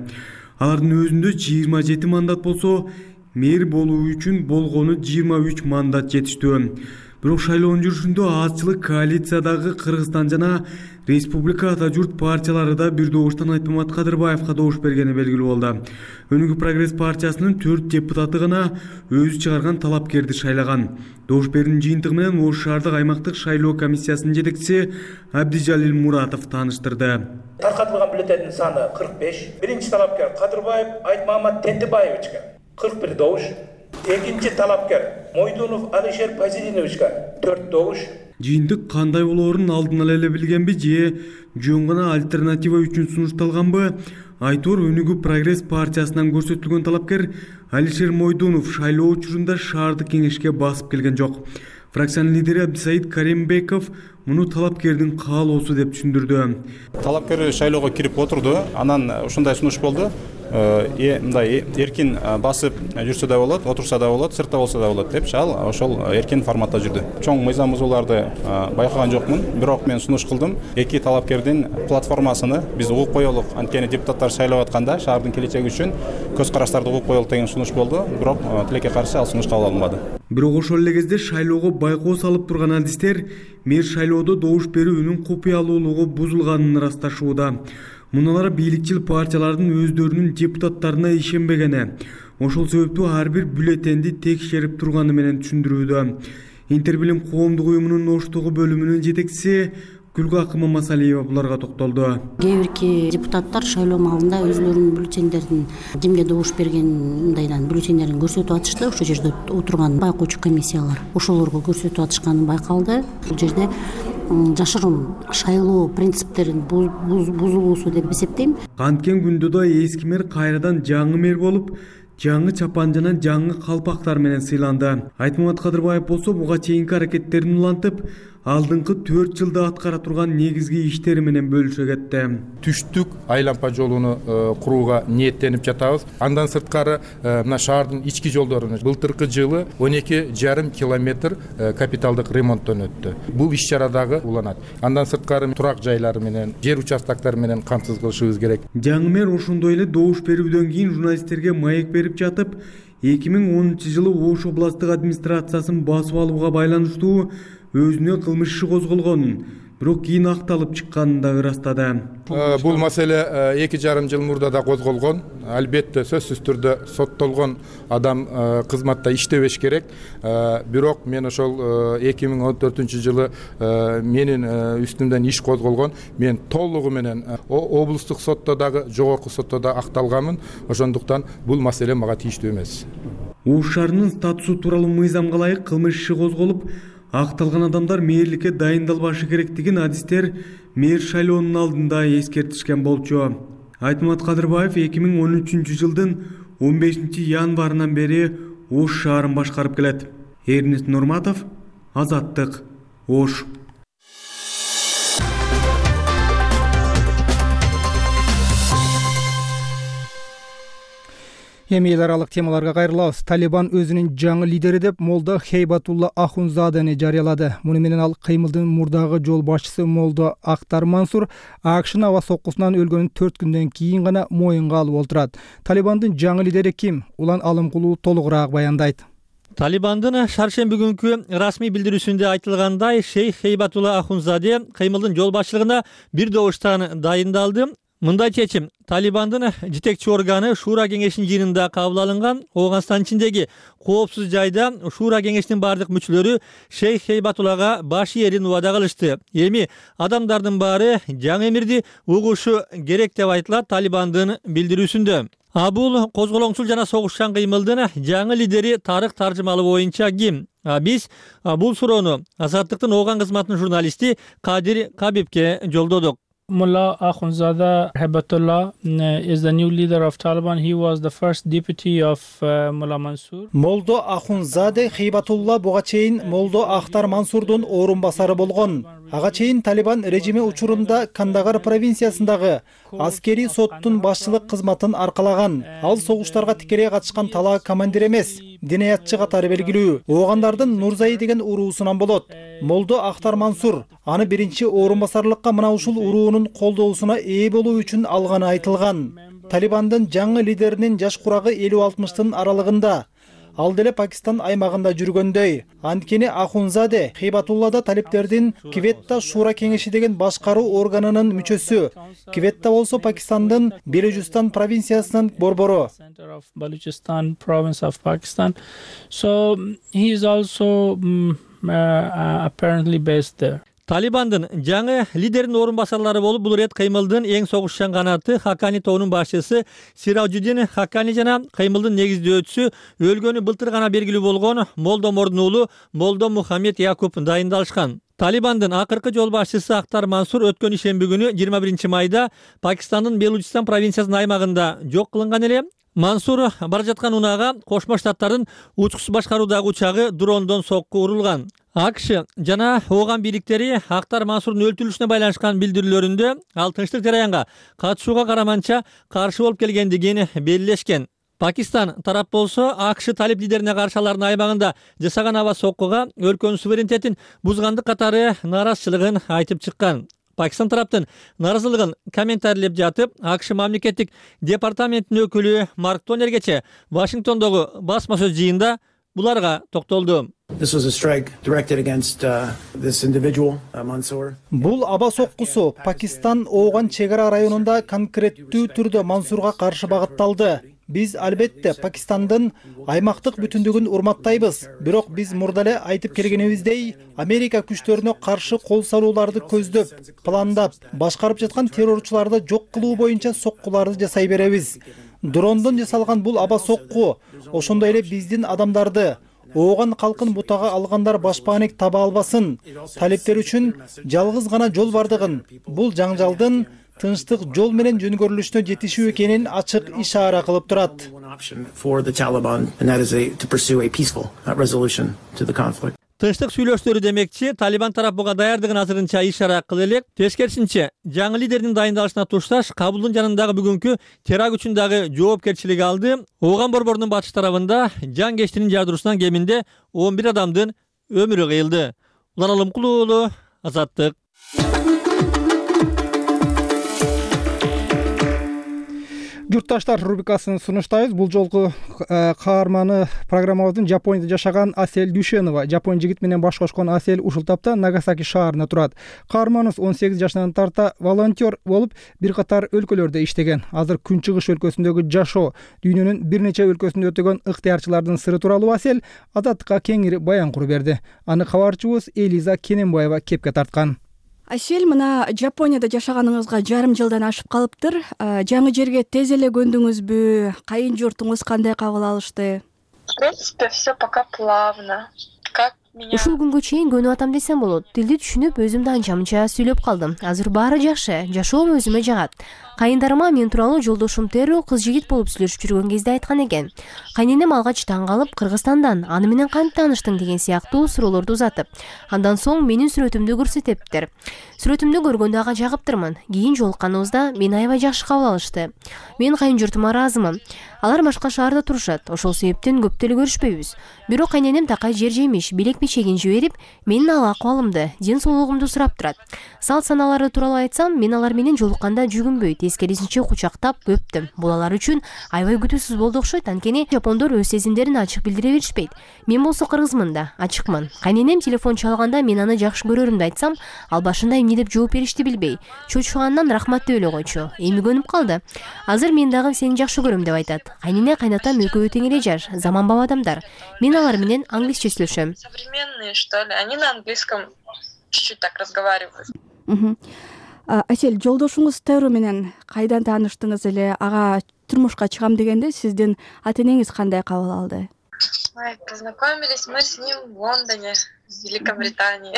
Алардын өзүндө 27 мандат болсо, мэр болуу үчүн болгону 23 мандат жетиштүү. Бирок шайлоонун жүрүшүндө азчылык коалициядагы Кыргызстан жана Республика Ата журт партиялары да бир добуштан Айтмамат Кадырбаевга добуш бергени белгилүү болду. Өнүгүү прогресс партиясынын 4 депутаты гана өзү чыгарган талапкерди шайлаган. Добуш берүүнүн жыйынтыгы менен Ош шаардык аймактык шайлоо комиссиясынын жетекчиси Абдижалил Муратов тааныштырды. Таркатылган бюллетендин саны 45. Биринчи талапкер Кадырбаев Айтмамат Тентибаевичке 41 добуш. Экинчи талапкер Мойдунов Алишер Пазидиновичке 4 добуш. Жыйынтык кандай болоорун алдын эле билгенби же жөн гана альтернатива үчүн сунушталганбы? Айтор Өнүгүү прогресс партиясынан көрсөтүлгөн талапкер Алишер Мойдунов шайлоо учурунда шаардык кеңешке басып келген жок. Фракциянын лидери Абдисаид Каримбеков муну талапкердин каалоосу деп түшүндүрдү. Талапкер шайлоого кирип отурду, анан ушундай сунуш болду. Мындай эркин басып жүрсө да болот, отурса да болот, сыртта болсо да болот деп ал ошол эркин форматта жүрдү. Чоң мыйзам бузууларды байкаган жокмун, бирок мен сунуш кылдым. Эки талапкердин платформасыны биз угуп коелук. Анткени депутаттар шайлап атканда шаардын келечеги үчүн көз караштарды угуп коелук деген сунуш болду. Бирок тилекке каршы ал сунуш кабыл алынбады. Бирок ошол эле кезде шайлоого байкоо салып турган адистер мэр шайлоодо добуш берүүнүн купуялуулугу бузулганын ырасташууда. Муналар бийликчил партиялардын өздөрүнүн депутаттарына ишенбегени, ошол себептүү ар бир бюллетенди текшерип турганы менен түшүндүрүүдө. Интербилим коомдук уюмунун Оштогу бөлүмүнүн жетекчиси Гүлгакы Мамасалиева буларга токтолду. Кээ бирки депутаттар шайлоо маалында өзлөрүнүн бюллетендерин кимге добуш берген мындайдан бюллетендерин көрсөтүп атышты. Ошол жерде отурган байкоочу комиссиялар ошолорго көрсөтүп атышканы байкалды. Бул жерде жашыруун шайлоо принциптерин бузулуусу деп эсептейм. Канткен күндө да эски мэр кайрадан жаңы мэр болуп, жаңы чапан жана жаңы калпактар менен сыйланды. Айтмамат Кадырбаев болсо буга чейинки аракеттерин улантып, алдыңкы 4 жылда аткара турган негизги иштери менен бөлүшө кетти. Түштүк айлампа жолуну курууга ниеттенип жатабыз. Андан сырткары мына шаардын ички жолдорун былтыркы жылы 12,5 километр капиталдык ремонттон өттү. Бул иш-чара дагы уланат. Андан сырткары турак жайлары менен, жер участоктары менен камсыз кылышыбыз керек. Жаңы мэр ошондой эле добуш берүүдөн кийин журналисттерге маек берип жатып, 2010 жылы Ош областтык администрациясын басып алууга байланыштуу өзүнө кылмыш иши козголгонун, бирок кийин акталып чыкканын да ырастады. Бул маселе 2,5 жыл мурда да козголгон. Албетте сөзсүз түрдө соттолгон адам кызматта иштебеш керек. Бирок мен ошол 2014 жылы менин үстүмдөн иш козголгон. Мен толугу менен облустук сотто дагы, жогорку сотто да акталганмын. Ошондуктан бул маселе мага тийиштүү эмес. Ош шаарынын статусу тууралуу мыйзамга ылайык кылмыш иши козголуп, акталган адамдар мэрликке дайындалбашы керектигин адистер мэр шайлоонун алдында эскертишкен болчу. Айтмамат Кадырбаев 2013 жылдын 15 январынан бери Ош шаарын башкарып келет. Эрнест Нурматов, Азаттык, Ош. Эми эл аралык темаларга кайрылабыз. Талибан өзүнүн жаңы лидери деп Молдо Хейбатулла Ахунзадени жарыялады. Муну менен ал кыймылдын мурдагы жол башчысы Молдо Ахтар Мансур АКШнын аба соккусунан өлгөнүн 4 күндөн кийин гана моюнга алып отурат. Талибандын жаңы лидери ким? Улан Алымкулуу толугураак баяндайт. Талибандын шаршемби күнкү расмий билдирүүсүндө айтылгандай, Шейх Хейбатулла Ахунзаде кыймылдын жол башчылыгына бир добуштан дайындалды. Мындай чечим Талибандын жетекчи органы Шуура кеңешинин жыйынында кабыл алынган. Ооганстан ичиндеги коопсуз жайда Шуура кеңешинин бардык мүчөлөрү Шейх Хейбатуллага баш ээрин убада кылышты. Эми адамдардын баары жаңы эмирди угушу керек деп айтылат Талибандын билдирүүсүндө. Бул козголоңчул жана согушчан кыймылдын жаңы лидери Тарык таржымалы боюнча ким? Биз бул суроону Азаттыктын Ооган кызматынын журналисти Кадир Кабибке жолдодук. Mullah Akhundzada Hibatullah is the new leader of Taliban. He was the first deputy of Mullah Mansur. Молдо Ахунзаде Хейбатулла буга чейин Молдо Ахтар Мансурдун орун басары болгон. Ага чейин Талибан режими учурунда Кандагар провинциясындагы аскери соттун башчылык кызматын аркалаган. Ал согуштарга тикелей катышкан талаа командир эмес, динаятчы катары белгилүү. Оогандардын Нурзай деген уруусунан болот. Молдо Ахтар Мансур аны биринчи орун басарлыкка мына ушул уруунун колдоосуна ээ болуу үчүн алганы айтылган. Талибандын жаңы лидеринин жаш курагы 50-60-тын аралыгында. Ал деле Пакистан аймагында жүргөндөй. Анткени Ахунзаде Хейбатуллада талиптердин Кветта Шуура кеңеши деген башкаруу органынын мүчөсү. Кветта болсо Пакистандын Белужистан провинциясынын борбору. Balochistan province of Pakistan. So he is also apparently based there. Талибандын жаңы лидеринин орун басарлары болуп бул рет кыймылдын эң согушчан канаты Хакани тобунун башчысы Сираджуддин Хакани жана кыймылдын негиздөөчүсү өлгөнү былтыр гана белгилүү болгон Молдо Мордун уулу Молдо Мухаммед Якуб дайындалышкан. Талибандын акыркы жол башчысы Ахтар Мансур өткөн ишемби күнү 21 майда Пакистандын Белучистан провинциясынын аймагында жок кылынган эле. Мансур бара жаткан унаага Кошмо Штаттардын учкучсуз башкаруудагы учагы дрондон сокку урулган. АКШ жана Ооган бийликтери Ахтар Мансурдун өлтүрүлүшүнө байланышкан билдирүүлөрүндө ал тынчтык жараянга катышууга караманча каршы болуп келгендигин белгилешкен. Пакистан тарап болсо АКШ талип лидерине каршы алардын аймагында жасаган аба соккуга өлкөнүн суверенитетин бузгандык катары нааразычылыгын айтып чыккан. Пакистан тараптын нааразылыгын комментарийлеп жатып, АКШ мамлекеттик департаментинин өкүлү Марк Тонергече Вашингтондогу басма сөз жыйында буларга токтолду. Бул аба соккусу Пакистан Ооган чегара районунда конкреттүү түрдө Мансурга каршы багытталды. Биз албетте Пакистандын аймактык бүтүндүгүн урматтайбыз. Бирок биз мурда эле айтып келгенибиздей, Америка күчтөрүнө каршы кол салууларды көздөп, пландап, башкарып жаткан террорчуларды жок кылуу боюнча соккуларды жасай беребиз. Дрондон жасалган бул аба сокку ошондой эле биздин адамдарды Ооган калкын бутага алгандар башпаанек таба албасын. Талиптер үчүн жалгыз гана жол бардыгын, бул жаңжалдын тынчтык жол менен жөнгөрүлүшүнө жетишүү экенин ачык ишара кылып турат. Тынчтык сүйлөштөрү демекчи, Талибан тарап буга даярдыгын азырынча ишара кыла элек. Тескерисинче, жаңы лидердин дайындалышына тушташ Кабулдун жанындагы бүгүнкү теракт үчүн дагы жоопкерчилик алды. Ооган борборунун батыш тарабында жан кештинин жардыруусунан кеминде 11 адамдын өмүрү кыйылды. Улан Алымкулуу уулу, Азаттык. Журтташтар рубрикасын сунуштайбыз. Бул жолку каарманы программабыздын Жапонияда жашаган Асель Дүйшенова. Жапон жигит менен баш кошкон Асель ушул тапта Нагасаки шаарында турат. Каарманыбыз 18 жашынан тарта волонтер болуп, бир катар өлкөлөрдө иштеген. Азыр Күнчыгыш өлкөсүндөгү жашоо, дүйнөнүн бир нече өлкөсүндө өтөгөн ыктыярчылардын сыры тууралуу Асель Азаттыкка кеңири баян куруп берди. Аны кабарчыбыз Элиза Кененбаева кепке тарткан. Асель, мына Жапонияда жашаганыңызга жарым жылдан ашып калыптыр. Жаңы жерге тез эле көндүңүзбү? Кайын журтуңуз кандай кабыл алышты? В принципе, все пока плавно. Как меня... Ушул күнгө чейин көнүп атам десем болот. Тилди түшүнүп, өзүмдү анча-мынча сүйлөп калдым. Азыр баары жакшы, жашоом өзүмө жагат. Кайындарыма мен тууралуу жолдошум Теру кыз жигит болуп сүйлөшүп жүргөн кезде айткан экен. Кайненем алгач таң калып, Кыргызстандан, аны менен кантип тааныштың деген сыяктуу суроолорду узатып, андан соң менин сүрөтүмдү көрсөтүптүр. Сүрөтүмдү көргөндө ага жагыптырмын. Кийин жолукканыбызда мени аябай жакшы кабыл алышты. Мен кайын журтума ыраазымын. Алар башка шаарда турушат. Ошол себептен көп деле көрүшпөйбүз. Бирок кайненем такай жер жемиш, билек печегин жиберип, менин ал акыбалымды, ден соолугумду сурап турат. Салт саналары тууралуу айтсам, мен алар менен жолукканда жүгүнбөй, тескерисинче кучактап өптүм. Бул алар үчүн аябай күтүүсүз болду окшойт. Анткени жапондор өз сезимдерин ачык билдире беришпейт. Мен болсо кыргызмын да, ачыкмын. Кайненем телефон чалганда мен аны жакшы көрөрүмдү айтсам, ал башында эмне деп жооп беришти билбей, чочугандан рахмат деп эле койчу. Эми көнүп калды. Азыр мен дагы сени жакшы көрөм деп айтат. Кайнене кайнатам экөө тең эле жаш, заманбап адамдар. Мен алар менен англисче сүйлөшөм. Современные, что ли? Они на английском чуть-чуть так разговаривают. Асель, жолдошуңуз Теру менен кайдан тааныштыңыз эле? Ага турмушка чыгам дегенде сиздин ата-энеңиз кандай кабыл алды? Познакомились мы с ним в Лондоне, в Великобритании.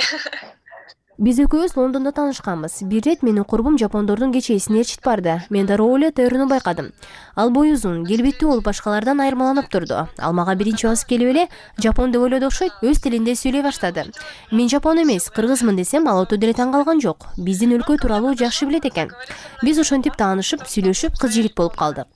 Биз экөөбүз Лондондо таанышканбыз. Бир ирет менин курбум жапондордун кечээсине ээрчитип барды. Мен дароо эле Теруну байкадым. Ал бою узун, келбеттүү болуп башкалардан айырмаланып турду. Ал мага биринчи басып келип эле жапон деп ойлоду окшойт, өз тилинде сүйлөй баштады. Мен жапон эмес, кыргызмын десем, ал өтө деле таң калган жок. Биздин өлкө тууралуу жакшы билет экен. Биз ошентип таанышып, сүйлөшүп, кыз жигит болуп калдык.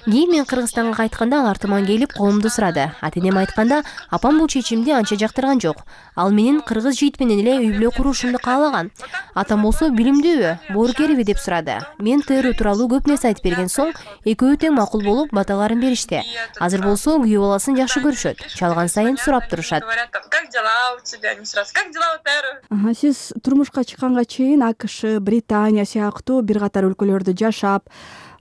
Кийин мен Кыргызстанга кайтканда ал артыман келип коомду сурады. Ата-энем айтканда, апам бул чечимди анча жактырган жок. Ал менин кыргыз жигит менен эле үй бүлө курушумду каалаган. Атам болсо билимдүүбү, боорукерби деп сурады. Мен Теру тууралуу көп нерсе айтып берген соң, экөө тең макул болуп баталарын беришти. Азыр болсо күйөө баласын жакшы көрүшөт. Чалган сайын сурап турушат. Как дела у тебя? Не сразу. Как дела у Теру? Сиз турмушка чыкканга чейин АКШ, Британия сыяктуу бир катар өлкөлөрдө жашап,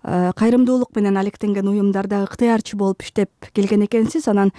кайрымдуулук менен алектенген уюмдарда ыктыярчы болуп иштеп келген экенсиз. Анан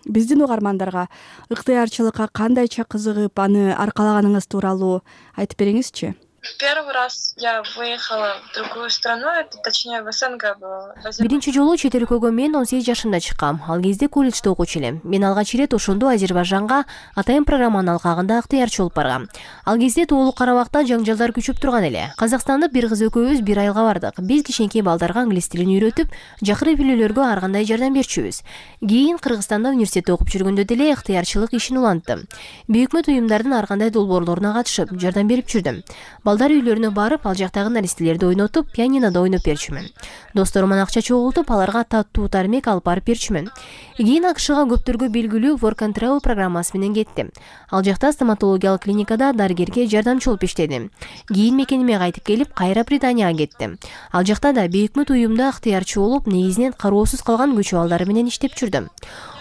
биздин угармандарга ыктыярчылыкка кандайча кызыгып, аны аркалаганыңыз тууралуу айтып бериңизчи. Первый раз я выехала в другую страну, это точнее в СНГ было. Биринчи жолу чет өлкөгө мен 18 жашымда чыккам. Ал кезде колледжде окуучу элем. Мен алгач ирет ошондо Азербайжанга атайын программанын алкагында ыктыярчы болуп баргам. Ал кезде Тоолук Карабакта жаңжалдар күчөп турган эле. Казакстандык бир кыз экөөбүз бир айылга бардык. Биз кичинекей балдарга англис тилин үйрөтүп, жакыр үй-бүлөлөргө ар кандай жардам берчүбүз. Кийин Кыргызстанда университетте окуп жүргөндө деле ыктыярчылык ишин уланттым. Бейөкмөт уюмдардын ар кандай долбоорлоруна катышып, жардам берип жүрдүм. Балдар үйлөрүнө барып, ал жактагы наристелерди ойнотуп, пианинода ойноп берчүмүн. Досторуман акча чогултуп, аларга таттуу тармек алып барып берчүмүн. Кийин АКШга көптөргө белгилүү Work and Travel программасы менен кеттим. Ал жакта стоматологиялык клиникада дарыгерге жардамчы болуп иштедим. Кийин мекениме кайтып келип, кайра Британияга кеттим. Ал жакта да бейөкмөт уюмда ыктыярчы болуп, негизинен кароосуз калган көчө балдары менен иштеп жүрдүм.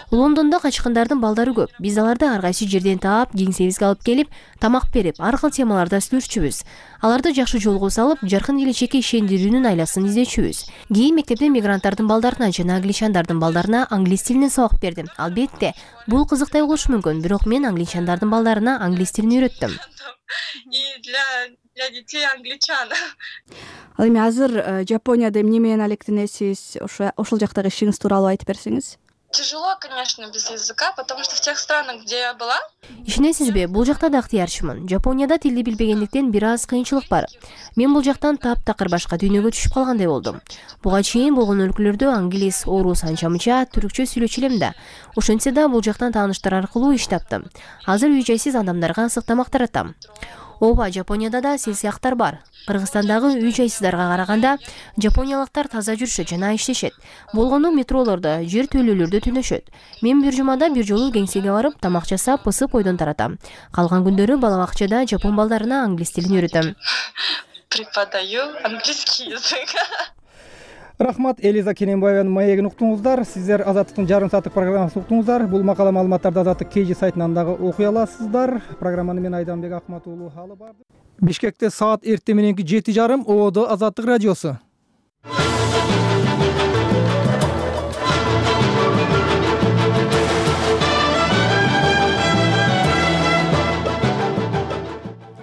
Лондондо качкындардын балдары көп. Биз аларды ар кайсы жерден таап, кеңсебизге алып келип, тамак берип, ар кыл темаларда сүйлөшчүбүз. Аларды жакшы жолго салып, жаркын келечекке ишендирүүнүн айласын издечүбүз. Кийин мектепте мигранттардын балдарына жана англичандардын балдарына англис тилинен сабак бердим. Албетте, бул кызыктай болушу мүмкүн, бирок мен англичандардын балдарына англис тилин үйрөттүм. И для детей англичан. Ал эми азыр Жапонияда эмне менен алектенесиз? Ошол жактагы ишиңиз тууралуу айтып берсеңиз. тяжело, конечно, без языка, потому что в тех странах, где я была... Ишенесизби, бул жакта да ыктыярчымын. Жапонияда тилди билбегендиктен бир аз кыйынчылык бар. Мен бул жактан таптакыр башка дүйнөгө түшүп калгандай болдум. Буга чейин болгон өлкөлөрдө англис, орус, анча-мынча түркчө сүйлөчү элем да. Ошентсе да бул жактан тааныштар аркылуу иш таптым. Азыр үй-жайсыз адамдарга ысык тамак таратам. Ооба, Жапонияда да сел сыяктар бар. Кыргызстандагы үй-жайсыздарга караганда жапониялыктар таза жүрүшөт жана иштешет. Болгону метролордо, жер төлөөлөрдө түнөшөт. Мен бир жумада бир жолу кеңсеге барып, тамак жасап, ысып ойдон таратам. Калган күндөрү бала бакчада жапон балдарына англис тилин үйрөтөм. Преподаю английский язык. Рахмат, Элиза Кененбаеванын маегин уктуңуздар. Сиздер Азаттыктын жарым сааттык программасын уктуңуздар. Бул макала маалыматтарды Азаттык KG сайтынан дагы окуй аласыздар. Программаны мен Айданбек Акмат уулу алып бардым. Бишкекте саат эртең мененки 7:30 ООД Азаттык радиосу.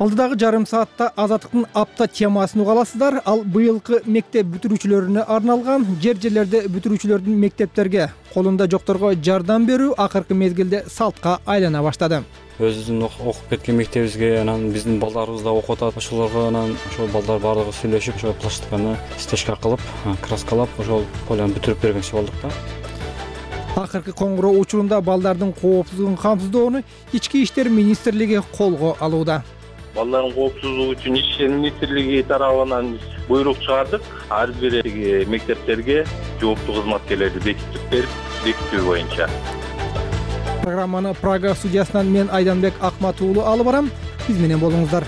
Алдыдагы жарым саатта Азаттыктын апта темасын уга аласыздар. Ал быйылкы мектеп бүтүрүүчүлөрүнө арналган. Жер-жерлерде бүтүрүүчүлөрдүн мектептерге колунда жокторго жардам берүү акыркы мезгилде салтка айлана баштады. Өзүбүздүн окуп кеткен мектебибизге анан биздин балдарыбыз да окуп атат. Ошолорго анан ошол балдар баардыгы сүйлөшүп, ошол пластиканы стежка кылып, краскалап, ошол поляны бүтүрүп бергенчи болдук да. Акыркы коңгуроо учурунда балдардын коопсуздугун камсыздоону Ички иштер министрлиги колго алууда. Балдардын коопсуздугу үчүн Ички иштер министрлиги тарабынан буйрук чыгардык. Ар бир мектептерге жооптуу кызматкерлерди бекитип берип, бекитүү боюнча. Программаны Прага студиясынан мен Айданбек Акмат уулу алып барам. Биз менен болуңуздар.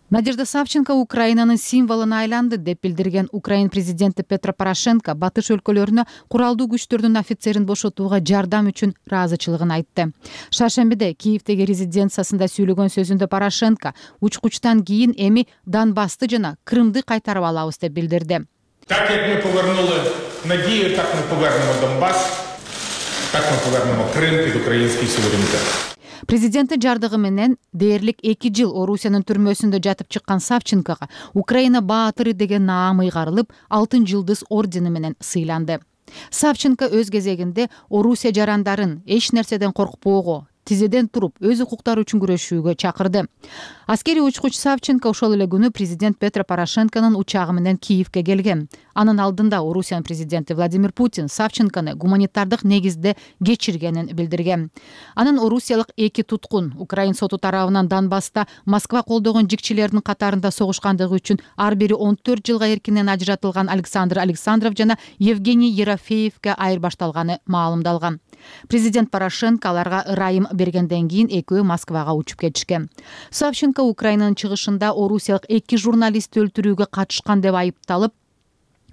Надежда Савченко Украинанын символуна айланды деп билдирген Украин президенти Петро Порошенко батыш өлкөлөрүнө куралдуу күчтөрдүн офицерин бошотууга жардам үчүн ыраазычылыгын айтты. Шаршембиде Киевдеги резиденциясында сүйлөгөн сөзүндө Порошенко учкучтан кийин эми Донбассты жана Крымды кайтарып алабыз деп билдирди. Так як мы повернули надію, так ми повернемо Донбас, так ми повернемо Крым під український суверенітет. Президенти жардыгы менен дээрлик 2 жыл Орусиянын түрмөсүндө жатып чыккан Савченкого Украина баатыры деген наам ыйгарылып, Алтын жылдыз ордени менен сыйланды. Савченко өз кезегинде Орусия жарандарын эч нерседен коркпоого, тизеден туруп өз укуктары үчүн күрөшүүгө чакырды. Аскерий учкуч Савченко ошол эле күнү президент Петро Порошенконун учагы менен Киевге келген. Анын алдында Орусиянын президенти Владимир Путин Савченкону гуманитардык негизде кечиргенин билдирген. Анын орусиялык 2 туткун Украин соту тарабынан Донбасста Москва колдогон жикчилердин катарында согушкандыгы үчүн ар бири 14 жылга эркинен ажыратылган Александр Александров жана Евгений Ерофеевге айырбашталганы маалымдалган. Президент Порошенко аларга ырайым бергенден кийин экөө Москвага учуп кетишкен. Савченко Украинанын чыгышында орусиялык 2 журналистти өлтүрүүгө катышкан деп айыпталып,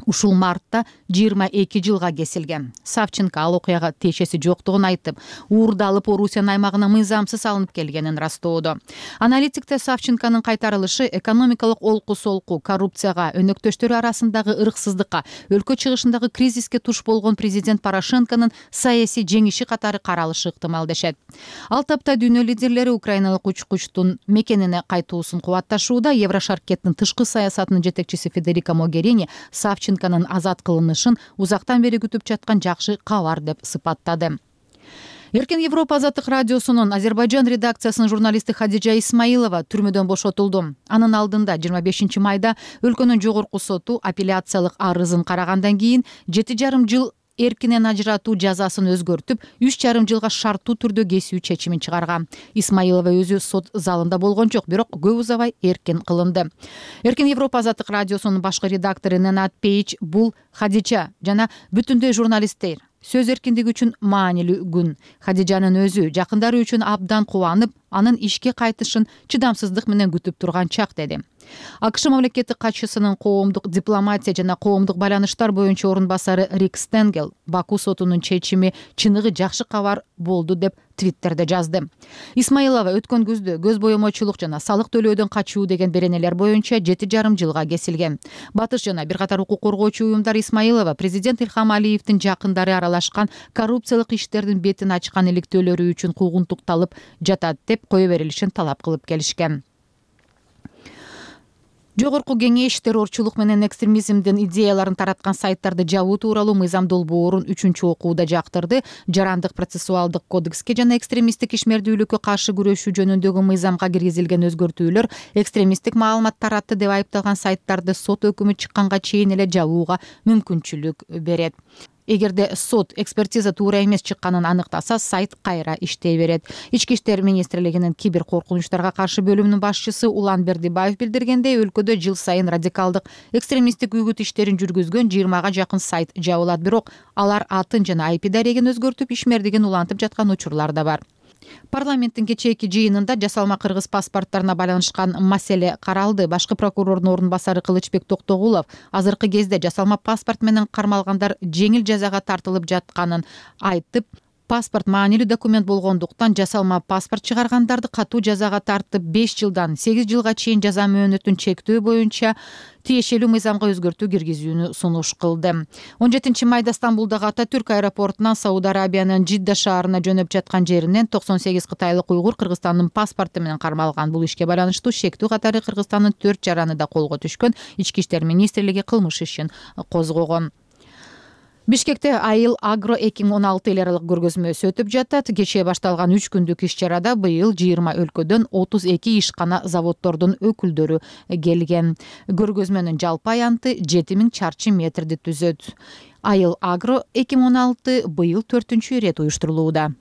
ушул мартта 22 жылга кесилген. Савченко ал окуяга тиешеси жоктугун айтып, уурдалып Орусиянын аймагына мыйзамсыз алынып келгенин растоодо. Аналитиктер Савченконун кайтарылышы экономикалык олку-солку, коррупцияга, өнөктөштөрү арасындагы ырксыздыкка, өлкө чыгышындагы кризиске туш болгон президент Порошенконун саясий жеңиши катары каралышы ыктымал дешет. Ал тапта дүйнө лидерлери украиналык учкучтун мекенине кайтуусун кубатташууда. Еврошаркеттин тышкы саясатынын жетекчиси Федерико Могерини Савченконун азат кылынышын узактан бери күтүп жаткан жакшы кабар деп сыпаттады. Эркин Европа Азаттык радиосунун Азербайжан редакциясынын журналисти Хадижа Исмаилова түрмөдөн бошотулду. Анын алдында 25 майда өлкөнүн жогорку соту апелляциялык арызын карагандан кийин 7,5 жыл эркинен ажыратуу жазасын өзгөртүп, 3,5 жылга шарттуу түрдө кесүү чечимин чыгарган. Исмаилова өзү сот залында болгон жок, бирок көп узабай эркин кылынды. Эркин Европа Азаттык радиосунун башкы редактору Ненат Пейч бул Хадижа жана бүтүндөй журналисттер сөз эркиндиги үчүн маанилүү күн. Хадижанын өзү жакындары үчүн абдан кубанып, анын ишке кайтышын чыдамсыздык менен күтүп турган чак деди. АКШ мамлекеттик катчысынын коомдук дипломатия жана коомдук байланыштар боюнча орун басары Рик Стенгел Баку сотунун чечими чыныгы жакшы кабар болду деп Твиттерде жазды. Исмаилова өткөн күздө көз боемочулук жана салык төлөөдөн качуу деген беренелер боюнча 7,5 жылга кесилген. Батыш жана бир катар укук коргоочу уюмдар Исмаилова президент Илхам Алиевдин жакындары аралашкан коррупциялык иштердин бетин ачкан иликтөөлөрү үчүн куугунтукталып жатат деп кое берилишин талап кылып келишкен. Жогорку кеңеш террорчулук менен экстремизмдин идеяларын тараткан сайттарды жабуу тууралуу мыйзам долбоорун 3-чү окууда жактырды. Жарандык процессуалдык кодекске жана экстремисттик ишмердүүлүккө каршы күрөшүү жөнүндөгү мыйзамга киргизилген өзгөртүүлөр экстремисттик маалымат таратты деп айыпталган сайттарды сот өкүмү чыкканга чейин эле жабууга мүмкүнчүлүк берет. Эгерде сот экспертиза туура эмес чыкканын аныктаса, сайт кайра иштей берет. Ички иштер министрлигинин кибер коркунучтарга каршы бөлүмүнүн башчысы Улан Бердибаев билдиргендей, өлкөдө жыл сайын радикалдык экстремисттик үгүт иштерин жүргүзгөн 20га жакын сайт жабылат, бирок алар атын жана IP дарегин өзгөртүп, ишмердигин улантып жаткан учурлар да бар. Парламенттин кечээки жыйынында жасалма кыргыз паспорттарына байланышкан маселе каралды. Башкы прокурордун ордун басары Кылычбек Токтогулов азыркы кезде жасалма паспорт менен кармалгандар жеңил жазага тартылып жатканын айтып, паспорт маанилүү документ болгондуктан жасалма паспорт чыгаргандарды катуу жазага тартып 5 жылдан 8 жылга чейин жаза мөөнөтүн чектөө боюнча тиешелүү мыйзамга өзгөртүү киргизүүнү сунуш кылды. 17 майда Стамбулдагы Ататүрк аэропортунан Сауд Арабиянын Жидда шаарына жөнөп жаткан жеринен 98 кытайлык уйгур Кыргызстандын паспорту менен кармалган. Бул ишке байланыштуу шектүү катары Кыргызстандын 4 жараны да колго түшкөн. Ички иштер министрлиги кылмыш ишин козгогон. Бишкекте Айыл Агро 2016 эл аралык көргөзмөсү өтүп жатат. Кечээ башталган 3 күндүк иш-чарада быйыл 20 өлкөдөн 32 ишкана заводдордун өкүлдөрү келген. Көргөзмөнүн жалпы аянты 7000 чарчы метрди түзөт. Айыл Агро 2016 быйыл 4-чү ирет уюштурулууда.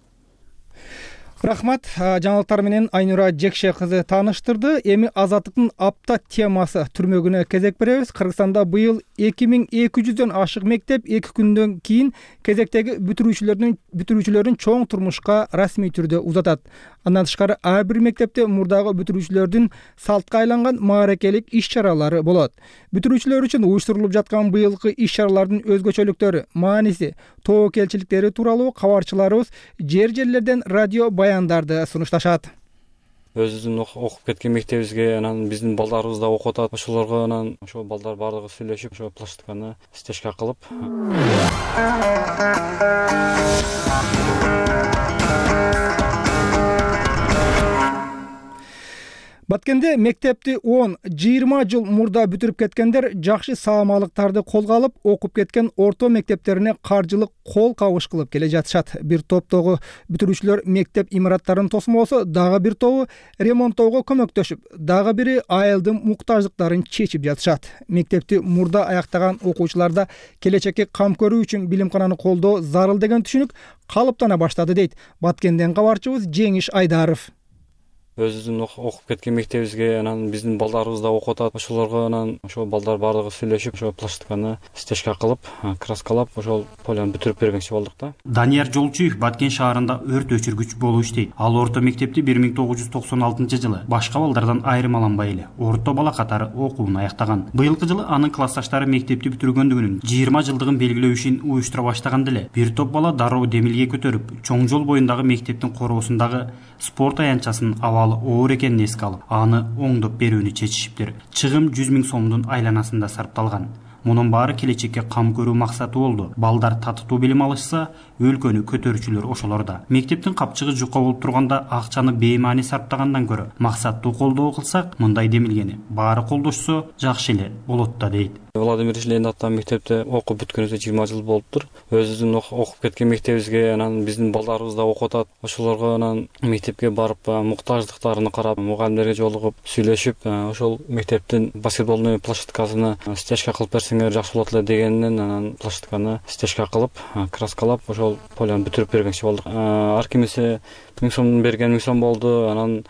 Рахмат. Жаңылыктар менен Айнура Жекше кызы тааныштырды. Эми азаттыктын апта темасы түрмөгүнө кезек беребиз. Кыргызстанда быйыл 2200дөн ашык мектеп 2 күндөн кийин кезектеги бүтүрүүчүлөрүн чоң турмушка расмий түрдө узатат. Андан тышкары ар бир мектепте мурдагы бүтүрүүчүлөрдүн салтка айланган мааракелик иш-чаралары болот. Бүтүрүүчүлөр үчүн уюштурулуп жаткан быйылкы иш-чаралардын өзгөчөлүктөрү, мааниси, тобокелчиликтери тууралуу кабарчыларыбыз жерлерден радио баяндарды сунушташат. Өзүбүздүн окуп кеткен мектебибизге анан биздин балдарыбыз да окуп атат. Ошолорго анан ошо балдар баардыгы сүйлөшүп, ошо площадканы стежка кылып. Баткенде мектепти 10-20 жыл мурда бүтүрүп кеткендер жакшы саамалыктарды колго алып, окуп кеткен орто мектептерине каржылык кол кабыш кылып келе жатышат. Бир топтогу бүтүрүүчүлөр мектеп имараттарын тосмосо, дагы бир тобу ремонттоого көмөктөшүп, дагы бири айылдын муктаждыктарын чечип жатышат. Мектепти мурда аяктаган окуучуларда келечекке кам көрүү үчүн билимкананы колдоо зарыл деген түшүнүк калыптана баштады, дейт Баткенден кабарчыбыз Жеңиш Айдаров. Өзүбүздүн окуп кеткен мектебибизге анан биздин балдарыбыз да окуп атат. Ошолорго анан ошо балдар баардыгы сүйлөшүп, ошо площадканы стежка кылып, краскалап, ошол поляны бүтүрүп бергенчи болдук да. Данияр Жолчуев Баткен шаарында өрт өчүргүч болуп иштейт. Ал орто мектепти 1996-жылы башка балдардан айырмаланбай эле орто бала катары окуун аяктаган. Быйылкы жылы анын классташтары мектепти бүтүргөндүгүнүн 20 жылдыгын белгилөө ишин уюштура баштаганда эле бир топ бала дароо демилге көтөрүп, чоң жол боюндагы мектептин короосундагы спорт аянтчасынын оор экенин эске алып, аны оңдоп берүүнү чечишиптир. Чыгым 100 000 сомдун айланасында сарпталган. Мунун баары келечекке кам көрүү максаты болду. Балдар татыктуу билим алышса, өлкөнү көтөрүүчүлөр ошолорда. Мектептин капчыгы жука болуп турганда акчаны беймаани сарптагандан көрө, максаттуу колдоо кылсак, мындай демилгени баары колдошсо жакшы эле болот да, дейт. Владимир Ленин аттаган мектепте окуп бүткөнүбүзгө 20 жыл болуптур. Өзүбүздүн окуп кеткен мектебибизге анан биздин балдарыбыз да окуп атат. Ошолорго анан мектепке барып, муктаждыктарын карап, мугалимдерге жолугуп, сүйлөшүп, ошол мектептин баскетбольный площадкасына стежка кылып берсеңер жакшы болот эле дегенинен анан площадканы стежка кылып, краскалап, ошол поляны бүтүрүп бергенчи болдук. Ар кимисе 1000 сом берген 1000 сом болду. Анан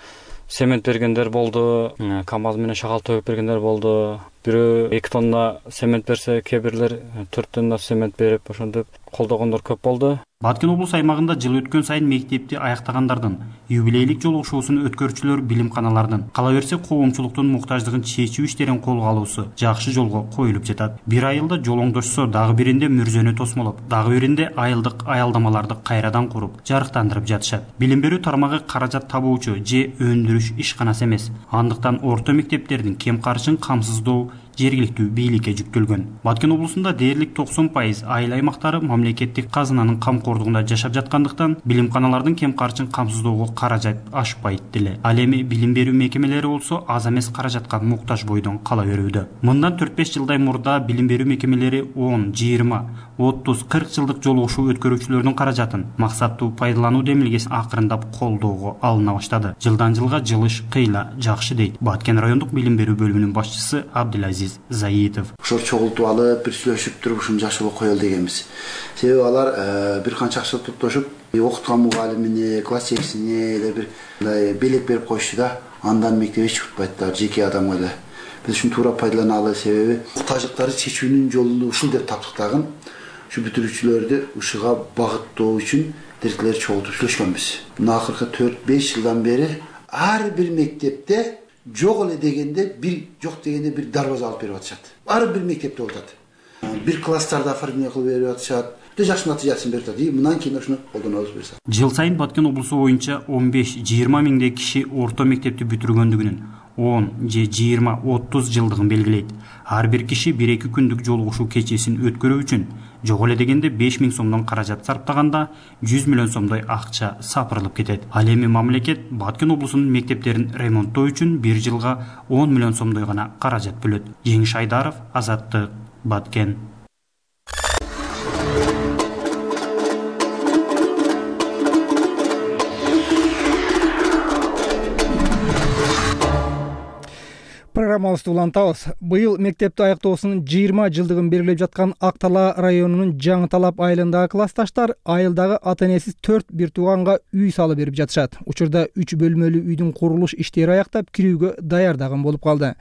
цемент бергендер болду, КАМАЗ менен шагал төгүп бергендер болду. Бирөө 2 тонна цемент берсе, кээ бирлер 4 тонна цемент берип, ошентип колдогондор көп болду. Баткен облус аймагында жыл өткөн сайын мектепти аяктагандардын юбилейлик жолугушуусун өткөрүүчүлөр билимканалардын, кала берсе коомчулуктун муктаждыгын чечүү иштерин колго алуусу жакшы жолго коюлуп жатат. Бир айылда жол оңдошсо, дагы биринде мүрзөнү тосмолоп, дагы биринде айылдык аялдамаларды кайрадан куруп, жарыктандырып жатышат. Билим берүү тармагы каражат табуучу же өндүрүш ишканасы эмес. Андыктан орто мектептердин кем карышын камсыздоо жергиликтүү бийликке жүктөлгөн. Баткен облусунда дээрлик 90% айыл аймактары мамлекеттик казынанын камкордугунда жашап жаткандыктан билимканалардын кем карчын камсыздоого каражат ашпайт деле. Ал эми билим берүү мекемелери болсо аз эмес каражатка муктаж бойдон кала берүүдө. Мындан 4-5 жылдай мурда билим берүү мекемелери 10, 20, 30, 40 жылдык жолугушуу өткөрүүчүлөрдүн каражатын максаттуу пайдалануу демилгесин акырындап колдоого алына баштады. Жылдан жылга жылыш кыйла жакшы дейт Баткен райондук билим берүү бөлүмүнүн башчысы Абдулазиз Заитов. Ошол чогултуп алып, бир сүйлөшүп туруп ушуну жакшы болуп коелу дегенбиз. Себеби алар бир канча акча топтошуп, окуткан мугалимине, класс жетекчисине эле бир мындай белек берип коюшту да, андан мектеп эч чыкпайт да, жеке адамга эле. Биз ушуну туура пайдаланалы, себеби муктаждыктарды чечүүнүн жолу ушул деп таптык дагы. Ушу бүтүрүүчүлөрдү ушуга багыттоо үчүн директорлор чогултуп сүйлөшкөнбүз. Мына акыркы 4-5 жылдан бери ар бир мектепте жок эле дегенде жок дегенде бир дарбаза алып берип атышат. Ар бир мектепте болуп атат. Бир класстарда оформление кылып берип атышат. Өтө жакшы натыйжасын берип атат. Мындан кийин ушуну колдонобуз буюрса. Жыл сайын Баткен облусу боюнча 15-20 миңдей киши орто мектепти бүтүргөндүгүнүн 10 же 20-30 жылдыгын белгилейт. Ар бир киши 1-2 күндүк жолугушуу кечесин өткөрүү үчүн жок эле дегенде 5 миң сомдон каражат сарптаганда 100 миллион сомдой акча сапырылып кетет. Ал эми мамлекет Баткен облусунун мектептерин ремонттоо үчүн 1 жылга 10 миллион сомдой гана каражат бөлөт. Жеңиш Айдаров, Азаттык, Баткен. Программабызды улантабыз. Быйыл мектепти аяктоосунун 20 жылдыгын белгилеп жаткан Ак Тала районунун Жаңы Талап айылындагы классташтар айылдагы ата-энесиз 4 бир тууганга үй салып берип жатышат. Учурда 3 бөлмөлүү үйдүн курулуш иштери аяктап, кирүүгө даярдаган болуп калды.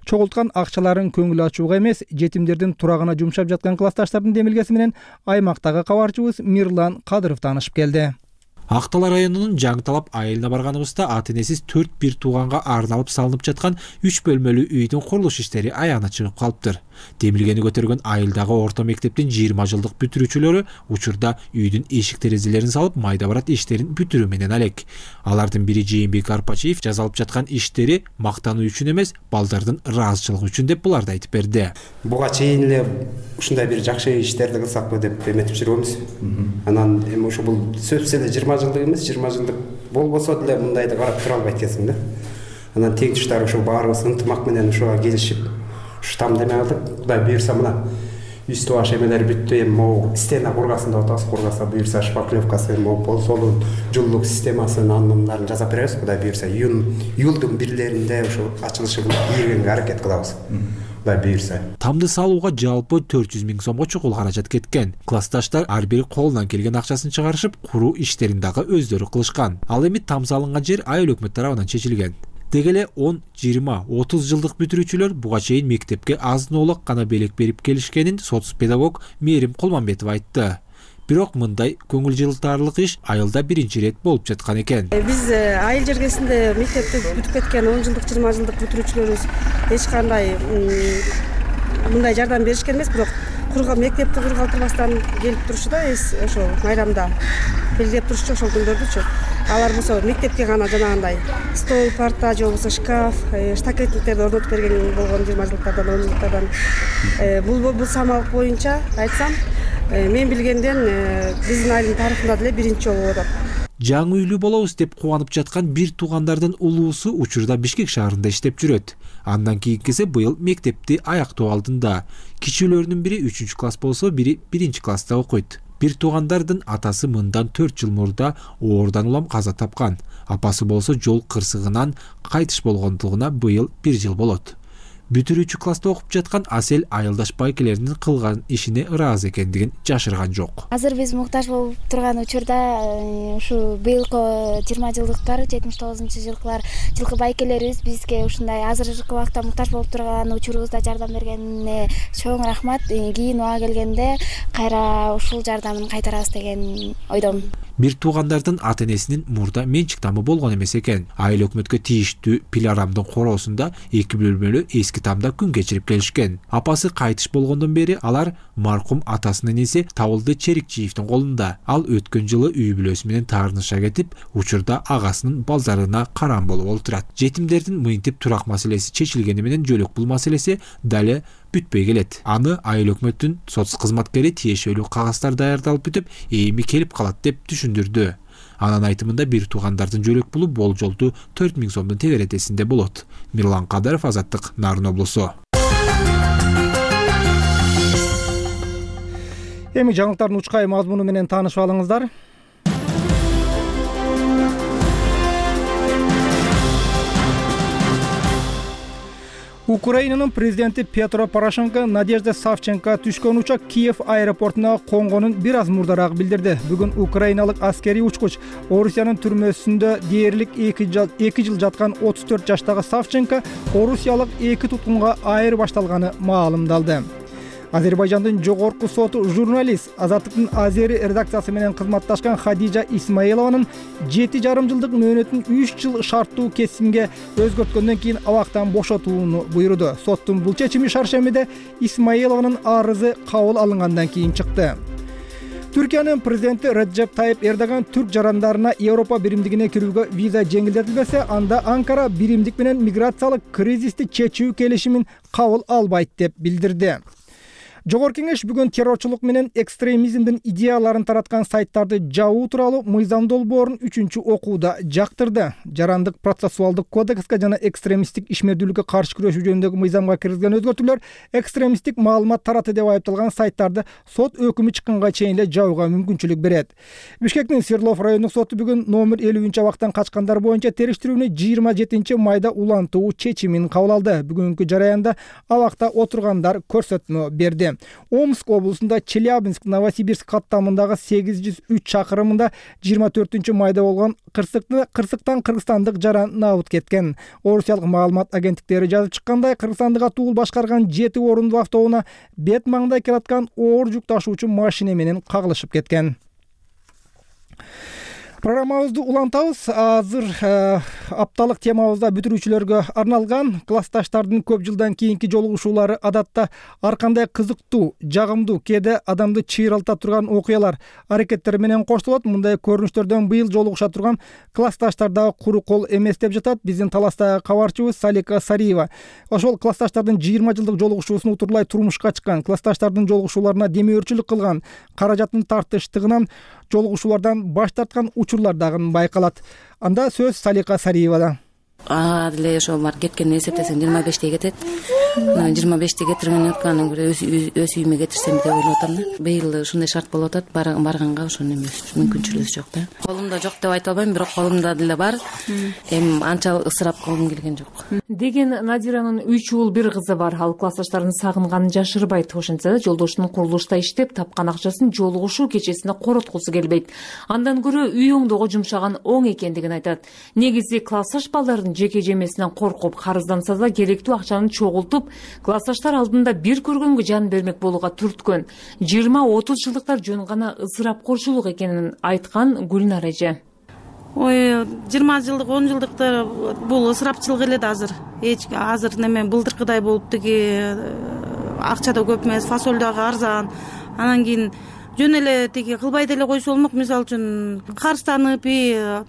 Чогулткан акчаларын көңүл ачууга эмес, жетимдердин турагына жумшап жаткан классташтардын демилгеси менен аймактагы кабарчыбыз Мирлан Кадыров таанышып келди. Ак Тала районунун Жаңы Талап айылына барганыбызда ата-энесиз 4 бир тууганга арналып салынып жаткан 3 бөлмөлүү үйдүн курулуш иштери аягына чыгып калыптыр. Демилгени көтөргөн айылдагы орто мектептин 20 жылдык бүтүрүүчүлөрү учурда үйдүн эшик терезелерин салып, майда барат иштерин бүтүрүү менен алек. Алардын бири Жээнбек Арпачиев жазалып жаткан иштери мактануу үчүн эмес, балдардын ыраазычылыгы үчүн деп буларды айтып берди. Буга чейин эле ушундай бир жакшы иштерди кылсакпы деп эметип жүрөбүз. Анан эми ошо бул сөзсүз эле 20 жылдык эмес, 20 жылдык болбосо деле мындайды карап тура албайт экенсиң да. Анан тең туштар ошо баарыбыз ынтымак менен ошого келишип штам деме кылдык. Кудай буюрса мына үстү баш эмелери бүттү, эми могу стена кургасын деп атабыз. Кургаса буюрса шпаклевкасы, могу пол солун, жылуулук системасын, анындарын жасап беребиз. Кудай буюрса июлдун бирлеринде ошо ачылышы ийгенге аракет кылабыз. Кудай буюрса. Тамды салууга жалпы 400 миң сомго чукул каражат кеткен. Классташтар ар бири колунан келген акчасын чыгарышып, куруу иштерин дагы өздөрү кылышкан. Ал эми там салынган жер айыл өкмөт тарабынан чечилген. Дегеле 10, 20, 30 жылдык бүтүрүүчүлөр буга чейин мектепке азын-оолак гана белек берип келишкенин соц-педагог Мээрим Кулманбетов айтты. Бирок мындай көңүл жылтарлык иш айылда биринчи ирет болуп жаткан экен. Биз айыл жергесинде мектепти бүтүп кеткен 10 жылдык, 20 жылдык бүтүрүүчүлөрүбүз эч кандай мындай жардам беришкен эмес, бирок мектепти кургалтырбастан келип турушу да ошо майрамда белгилеп турушчу ошол күндөрдүчү. Алар болсо мектепке гана жанагындай стол, парта же болбосо шкаф, штакетниктерди орнотуп берген болгон 20 жылдыктардан, 10 жылдыктардан. Бул самалык боюнча айтсам, мен билгенден биздин айылдын тарыхында деле биринчи жолу болуп атат. Жаңы үйлүү болобуз деп кубанып жаткан бир туугандардын улуусу учурда Бишкек шаарында иштеп жүрөт. Андан кийинкиси быйыл мектепти аяктоо алдында. Кичүүлөрүнүн бири 3-класс болсо, бири 1-класста окуйт. Бир туугандардын атасы мындан 4 жыл мурда оорудан улам каза тапкан. Апасы болсо жол кырсыгынан кайтыш болгондугуна быйыл 1 жыл болот. Бүтүрүүчү класста окуп жаткан Асель айылдаш байкелеринин кылган ишине ыраазы экендигин жашырган жок. Азыр биз муктаж болуп турган учурда ушу быйылкы 20 жылдыктар, 79-жылкылар жылкы байкелерибиз бизге ушундай азыркы убакта муктаж болуп турган учурубузда жардам бергенине чоң рахмат. Кийин убага келгенде кайра ушул жардамын кайтарабыз деген ойдомун. Бир туугандардын ата энесинин мурда менчик тамы болгон эмес экен. Айыл өкмөткө тийиштүү Пиларамдын короосунда 2 бөлмөлүү эски тамда күн кечирип келишкен. Апасы кайтыш болгондон бери алар маркум атасынын эниси Табылды Черикчиевдин колунда. Ал өткөн жылы үй бүлөсү менен таарыныша кетип, учурда агасынын балдарына карам болуп олтурат. Жетимдердин мынтип турак маселеси чечилгени менен жөлөк бул маселеси дали бүтпөй келет. Аны айыл өкмөттүн сот кызматкери тиешелүү кагаздар даярдалып бүтүп, эми келип калат деп түшүндүрдү. Анын айтымында бир туугандардын жөлөк пулу болжолдуу 4000 сомдун тегеретесинде болот. Мирлан Кадаров, Азаттык, Нарын облусу. Эми жаңылыктардын учкай мазмуну менен таанышып алыңыздар. Украинанын президенти Петро Порошенко Надежда Савченко түшкөн учак Киев аэропортуна конгонун бир аз мурдараак билдирди. Бүгүн украиналык аскерий учкуч Орусиянын түрмөсүндө дээрлик 2 жыл жаткан 34 жаштагы Савченко орусиялык 2 туткунга айырбашталганы маалымдалды. Азербайжандын жогорку соту журналист Азаттыктын Азери редакциясы менен кызматташкан Хадижа Исмаилованын 7,5 жылдык мөөнөтүн 3 жыл шарттуу кесимге өзгөрткөндөн кийин абактан бошотууну буйруду. Соттун бул чечими шаршембиде Исмаилованын арызы кабыл алынгандан кийин чыкты. Түркиянын президенти Реджеп Тайип Эрдоган түрк жарандарына Европа биримдигине кирүүгө виза жеңилдетилбесе, анда Анкара биримдик менен миграциялык кризисти чечүү келишимин кабыл албайт деп билдирди. Жогорку кеңеш бүгүн террорчулук менен экстремизмдин идеяларын тараткан сайттарды жабуу тууралуу мыйзам долбоорун 3-окууда жактырды. Жарандык процессуалдык кодекске жана экстремисттик ишмердүүлүккө каршы күрөшүү жөнүндөгү мыйзамга киргизилген өзгөртүүлөр экстремисттик маалымат таратты деп айыпталган сайттарды сот өкүмү чыкканга чейин эле жабууга мүмкүнчүлүк берет. Бишкектин Свердлов райондук соту бүгүн номер 50-абактан качкандар боюнча териштирүүнү 27 майда улантуу чечимин кабыл алды. Бүгүнкү жараянда абакта отургандар көрсөтмө берди. Омск облусунда Челябинск Новосибирск каттамындагы 803 чакырымында 24 майда болгон кырсыктан кыргызстандык жаран набыт кеткен. Орусиялык маалымат агенттиктери жазып чыккандай, Кыргызстандык атуул башкарган 7 орундуу автоунаа бет маңда келаткан оор жүк ташуучу машина менен кагылышып кеткен. Программабызды улантабыз. Азыр апталык темабызда бүтүрүүчүлөргө арналган классташтардын көп жылдан кийинки жолугушуулары адатта ар кандай кызыктуу, жагымдуу, кээде адамды чыйралта турган окуялар, аракеттер менен коштолот. Мындай көрүнүштөрдөн быйыл жолугуша турган классташтар дагы куру кол эмес деп жатат биздин Таластагы кабарчыбыз Салика Сариева. Ошол классташтардын 20 жылдык жолугушуусун утурлай турмушка чыккан, классташтардын жолугушууларына демөөрчүлүк кылган, каражаттын тартыштыгынан жолугушуулардан баш тарткан учурлар дагы байкалат. Анда сөз Салика Сариевада. Деле ошо кеткен эсептесем 25-те кетет. 25-те кетирген өткөнүн көрө өз үйүмө кетирсем деп ойлоп атам да. Быйыл ушундай шарт болуп атат, барганга ошону эмес, мүмкүнчүлүгү жок да. Колумда жок деп айта албайм, бирок колумда деле бар. Эми анча ысырап кылгым келген жок. Деген Надиранын 3 уул бир кызы бар. Ал классташтарын сагынганын жашырбайт. Ошентсе да жолдошунун курулушта иштеп тапкан акчасын жолугушуу кечесине короткусу келбейт. Андан көрө үй оңдоого жумшаган оң экендигин айтат. Негизи классташ балдардын жеке жемесинен коркуп, карызданса да керектүү акчаны чогултуп, классташтар алдында бир көргөнгө жан бермек болууга түрткөн. 20-30 жылдыктар жөн гана ысырапкорчулук экенин айткан Гүлнар эже. Ой, 20 жылдык, 10 жылдыктар бул ысырапчылык эле да азыр. Азыр неме былтыркыдай болуп тиги акча да көп эмес, фасоль дагы арзан. Анан кийин жөн эле тиги кылбай деле койсо болмок. Мисалы үчүн карызданып,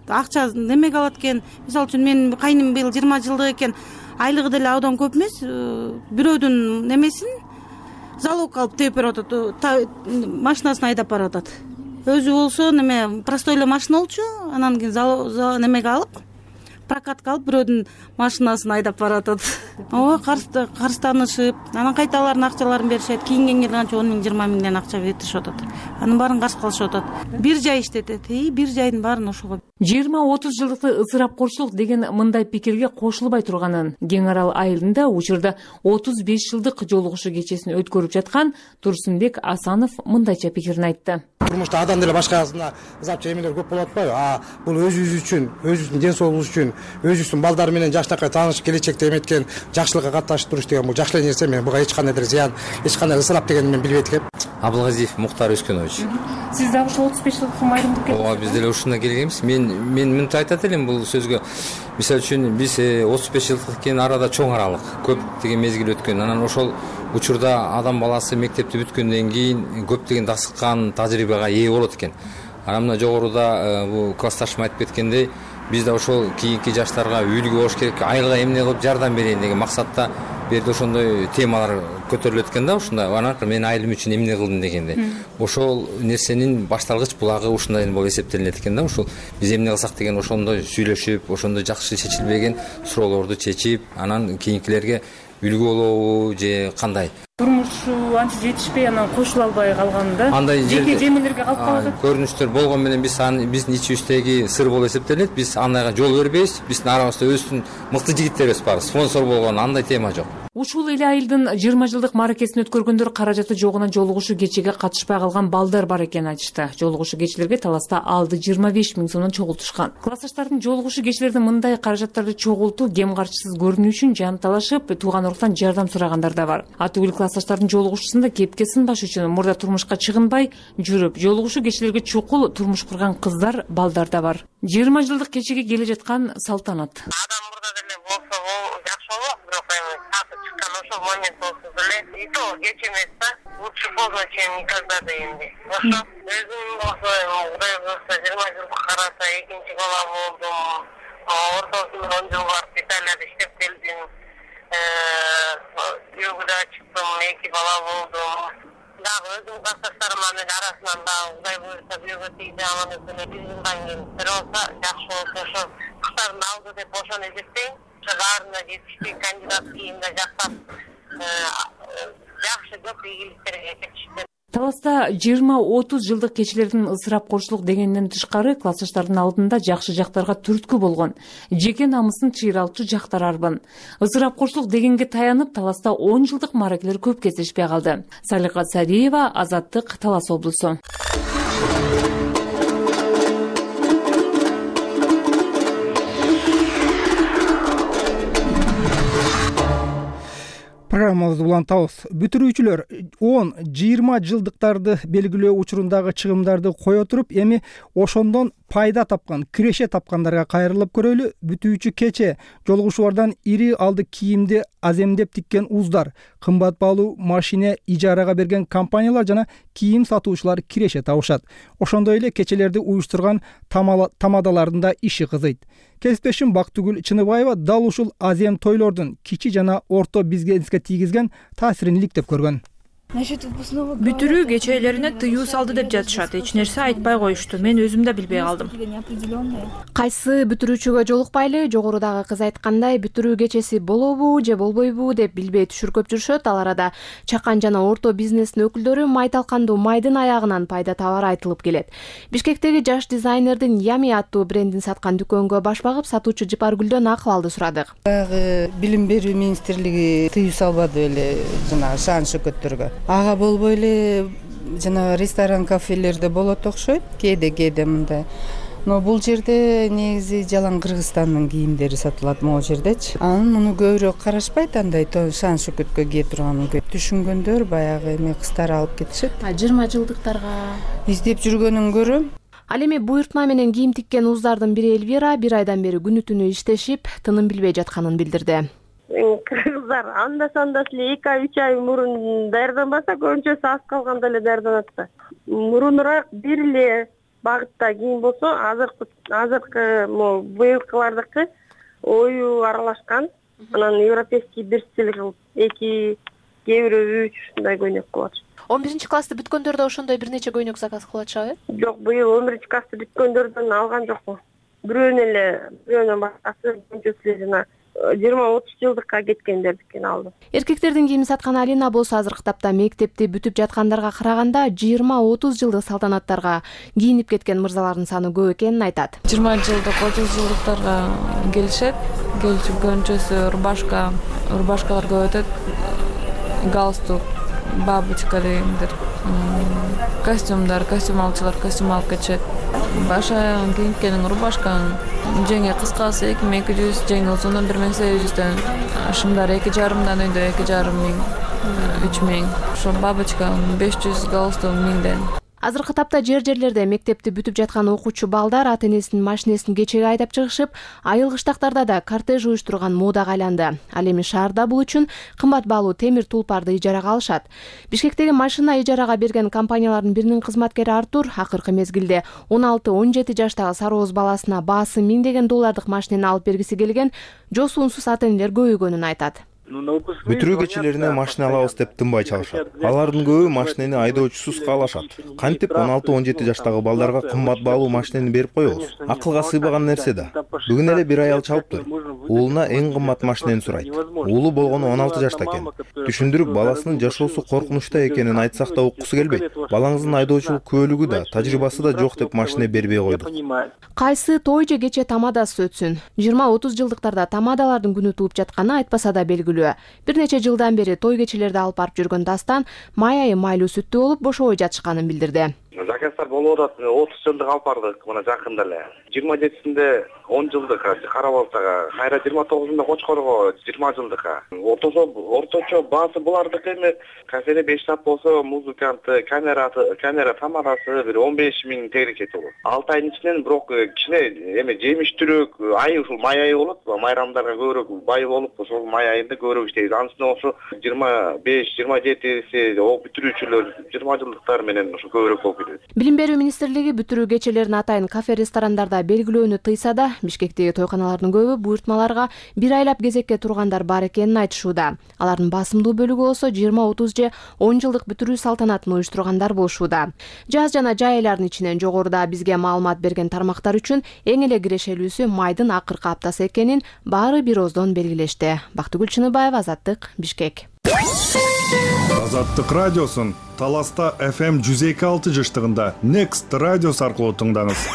акча немеге алат экен. Мисалы үчүн менин кайным быйыл 20 жылдык экен, айлыгы деле абдан көп эмес. Бирөөдүн немесин залог алып тээп берип атат, машинасын айдап барып атат. Өзү болсо неме простой эле машина болчу, анан кийин немеге алып, прокатка алып бирөөдүн машинасын айдап баратат. Ооба, карызданышып, анан кайта алардын акчаларын беришет. Кийингенге канча 10 000, 20 000 акча беришип атат. Анын баарын каршы кылышып атат. Бир жай иштетет, бир жайдын баарын ошого. 20-30 жылдыкты ысырапкорчулук деген мындай пикирге кошулбай турганын Кең Арал айылында учурда 35 жылдык жолугушуу кечесин өткөрүп жаткан Турсунбек Асанов мындайча пикирин айтты. Турмушта адам деле башкасына ызапчы эмелер көп болуп атпайбы? Бул өзүбүз үчүн, өзүбүздүн ден соолугубуз үчүн, өзүбүздүн балдар менен жаштакай таанышып, келечекте эметкен жакшылыкка катташып туруш деген бул жакшы нерсе. Мен буга эч кандай зыян, эч кандай ысырап дегенди мен билбейт экем. Абылгазиев Муктар Өскенович. Сиз дагы ушул 35 жылдык майрымдыкка ооба биз деле ушундан келгенбиз. Мен мынтип айтат элем бул сөзгө. Мисалы үчүн биз 35 жылдык экен, арада чоң аралык, көптөгөн мезгил өткөн. Анан ошол учурда адам баласы мектепти бүткөндөн кийин көптөгөн дасыккан тажрыйбага ээ болот экен. Анан мына жогоруда бул классташым айтып кеткендей, биз да ошол кийинки жаштарга үлгү болуш керек, айылга эмне кылып жардам берейин деген максатта бул жерде ошондой темалар көтөрүлөт экен да, ушундай. Анан мен айылым үчүн эмне кылдым дегенде, ошол нерсенин башталгыч булагы ушундай болуп эсептелинет экен да. Ушул биз эмне кылсак деген ошондой сүйлөшүп, ошондой жакшы чечилбеген суроолорду чечип, анан кийинкилерге үлгү болобу же кандай. Турмушу анча жетишпей анан кошула албай калганда жеке жемелерге калып калат. Көрүнүштөр болгон менен биздин ичибиздеги сыр болуп эсептелет. Биз андайга жол бербейбиз. Биздин арабызда өзүбүздүн мыкты жигиттерибиз бар. Спонсор болгон андай тема жок. Ушул эле айылдын 20 жылдык мааракесин өткөргөндөр каражаты жогунан жолугушуу кечеге катышпай калган балдар бар экенин айтышты. Жолугушуу кечелерге таласта алды 25 000 сомдон чогултушкан. Классташтардын жолугушуу кечелердин мындай каражаттарды чогултуу кем карчысыз көрүнүү үчүн жан талашып, тууган уруктан жардам сурагандар да бар. Атүгүл классташтардын жолугушуусунда кепке сынбаш үчүн мурда турмушка чыгынбай жүрүп, жолугушуу кечелерге чукул турмуш курган кыздар, балдар да бар. 20 жылдык кечеге келе жаткан салтанат. Ошол момент болсо деле и то кеч эмес да, лучше поздно чем никогда дейинди. Ошо өзүм болсо Кудай буюрса 20 жылга карата экинчи бала болдум. Ортосунда 10 жыл барып Италияда иштеп келдим. Югда чыктым, 2 бала болдум. Дагы өзүм классташтарымдын арасынан дагы Кудай буюрса бүйгө тийди, анан өкүнө 1 жылдан кийин бир болсо жакшы болсо ошо куштардын алды деп ошону эсептейм. Баарына жетиштүү кандидат кийимде жактап жакшы көп ийгиликтерге жетишти. Таласта 20-30 жылдык кечелердин ысырапкорчулук дегенден тышкары классташтардын алдында жакшы жактарга түрткү болгон, жеке намысын чыйралчу жактар арбын. Ысырапкорчулук дегенге таянып, Таласта 10 жылдык мааракелер көп кездешпей калды. Салика Сариева, Азаттык, Талас облусу. Программабызды улантабыз. Бүтүрүүчүлөр 10-20 жылдыктарды белгилөө учурундагы чыгымдарды кое туруп, эми ошондон пайда тапкан, киреше тапкандарга кайрылып көрөлү. Бүтүүчү кече жолугушуулардан ири алды кийимди аземдеп тиккен уздар, кымбат баалуу машина ижарага берген компаниялар жана кийим сатуучулар киреше табышат. Ошондой эле кечелерди уюштурган тамадалардын да иши кызыйт. Кесиптешим Бактыгүл Чыныбаева дал ушул азем тойлордун кичи жана орто бизнеске тийгизген таасирин иликтеп көргөн. Бүтүрүү кечелерине тыюу салды деп жатышат. Эч нерсе айтпай коюшту. Мен өзүм да билбей калдым. Кайсы бүтүрүүчүгө жолукпайлы, жогорудагы кыз айткандай, бүтүрүү кечеси болобу же болбойбу деп билбей түшүркөп жүрүшөт. Ал арада чакан жана орто бизнестин өкүлдөрү май талкандуу майдын аягынан пайда табары айтылып келет. Бишкектеги жаш дизайнердин Ями аттуу брендин саткан дүкөнгө баш багып, сатуучу Жыпаргүлдөн акыбалды сурадык. Билим берүү министрлиги тыюу салбады эле жана шаан шөкөттөргө. Ага болбой эле жана ресторан, кафелерде болот окшойт, кээде мындай. Но бул жерде негизи жалаң Кыргызстандын кийимдери сатылат могу жердечи. Анан муну көбүрөөк карашпайт, андай шаан шөкөткө кие турганын түшүнгөндөр баягы эме кыздар алып кетишет. 20 жылдыктарга издеп жүргөнүн көрөм. Ал эми буйртма менен кийим тиккен уздардын бири Элвира 1 айдан бери күнү түнү иштешип, тыным билбей жатканын билдирди. Кыргыздар анда-санда эле 2-3 ай мурун даярданбаса, көбүнчөсү аз калганда эле даярданат да. Мурунураак бир эле багытта кийим болсо, азыркы быйылкылардыкы ою аралашкан. Анан европейский бир стиль кылып, 2, кээ бирөө 3 ушундай көйнөк кылып атышат. 11-классты бүткөндөр да ошондой бир нече көйнөк заказ кылып атышабы? Жок, быйыл 11-классты бүткөндөрдөн алган жокмун. Бирөөнөн башкасы көбүнчөсү жана 20-30 жылдыкка кеткендердикин алды. Эркектердин кийимин саткан Алина болсо азыркы тапта мектепти бүтүп жаткандарга караганда 20-30 жылдык салтанаттарга кийинип кеткен мырзалардын саны көп экенин айтат. 20 жылдык, 30 жылдыктарга келишет. Келишип көбүнчөсү рубашкалар көп өтөт. Галстук, бабочка дегендер. Костюм алчылар костюм алып кетишет. Баш аягын кийинткенин рубашканын жеңи кыскасы 2200, жеңи узуну 1800дөн, шымдар 2,5 өйдө 2,5 миң. 3000, ошо бабочка 500 галстук 1000ден. Азыркы тапта жерлерде мектепти бүтүп жаткан окуучу балдар ата энесинин машинесин кечеге айдап чыгышып, айыл кыштактарда да кортеж уюштурган модага айланды. Ал эми шаарда бул үчүн кымбат баалуу темир тулпарды ижарага алышат. Бишкектеги машина ижарага берген компаниялардын биринин кызматкери Артур акыркы мезгилде 16-17 жаштагы сарооз баласына баасы $1000 машинени алып бергиси келген жосуунсуз ата энелер көбөйгөнүн айтат. Бүтүрүү кечелерине машина алабыз деп тынбай чалышат. Алардын көбү машинени айдоочусуз каалашат. Кантип 16-17 жаштагы балдарга кымбат баалуу машинени берип коебуз? Акылга сыйбаган нерсе да. Бүгүн эле бир аял чалыптыр. Уулуна эң кымбат машинени сурайт. Уулу болгону 16 жашта экен. Түшүндүрүп, баласынын жашоосу коркунучта экенин айтсак да уккусу келбейт. Балаңыздын айдоочулук күбөлүгү да, тажрыйбасы да жок деп машина бербей койдук. Кайсы той же кече тамадасыз өтсүн. 20-30 жылдыктарда тамадалардын күнү тууп жатканы айтпаса да белгилүү. Бир нече жылдан бери той кечелерди алып барып жүргөн Дастан май айы майлуу сүттүү болуп бошобой жатышканын билдирди. Заказдар болуп атат. 30 жылдык алып бардык мына жакында эле. 27-синде 10 жылдык Карабалтага, кайра 29-сунда Кочкорго 20 жылдыкка. Орточо баасы булардык эми кафеде 5 саат болсо музыканты, камера тамадасы бир 15 000 тегерек кетип болот. 6 айдын ичинен бирок кичине эми жемиштүүрөөк айы ушул май айы болот. Майрамдарга көбүрөөк бай болуп, ошол май айында көбүрөөк иштейбиз. Анысынан ошо 25-27си бүтүрүүчүлөр 20 жылдыктар менен ошо көбүрөөк болуп кетет. Билим берүү министрлиги бүтүрүү кечелерин атайын кафе ресторандарда белгилөөнү тыйса да, Бишкектеги тойканалардын көбү буйртмаларга бир айлап кезекке тургандар бар экенин айтышууда. Алардын басымдуу бөлүгү болсо 20-30 же 10 жылдык бүтүрүү салтанатын уюштургандар болушууда. Жаз жана жай айлардын ичинен жогоруда бизге маалымат берген тармактар үчүн эң эле кирешелүүсү майдын акыркы аптасы экенин баары бир ооздон белгилешти. Бактыгүл Чыныбаева, Азаттык, Бишкек. Азаттык радиосун Таласта FM 102.6 жыштыгында Next радиос аркылуу тыңдаңыз.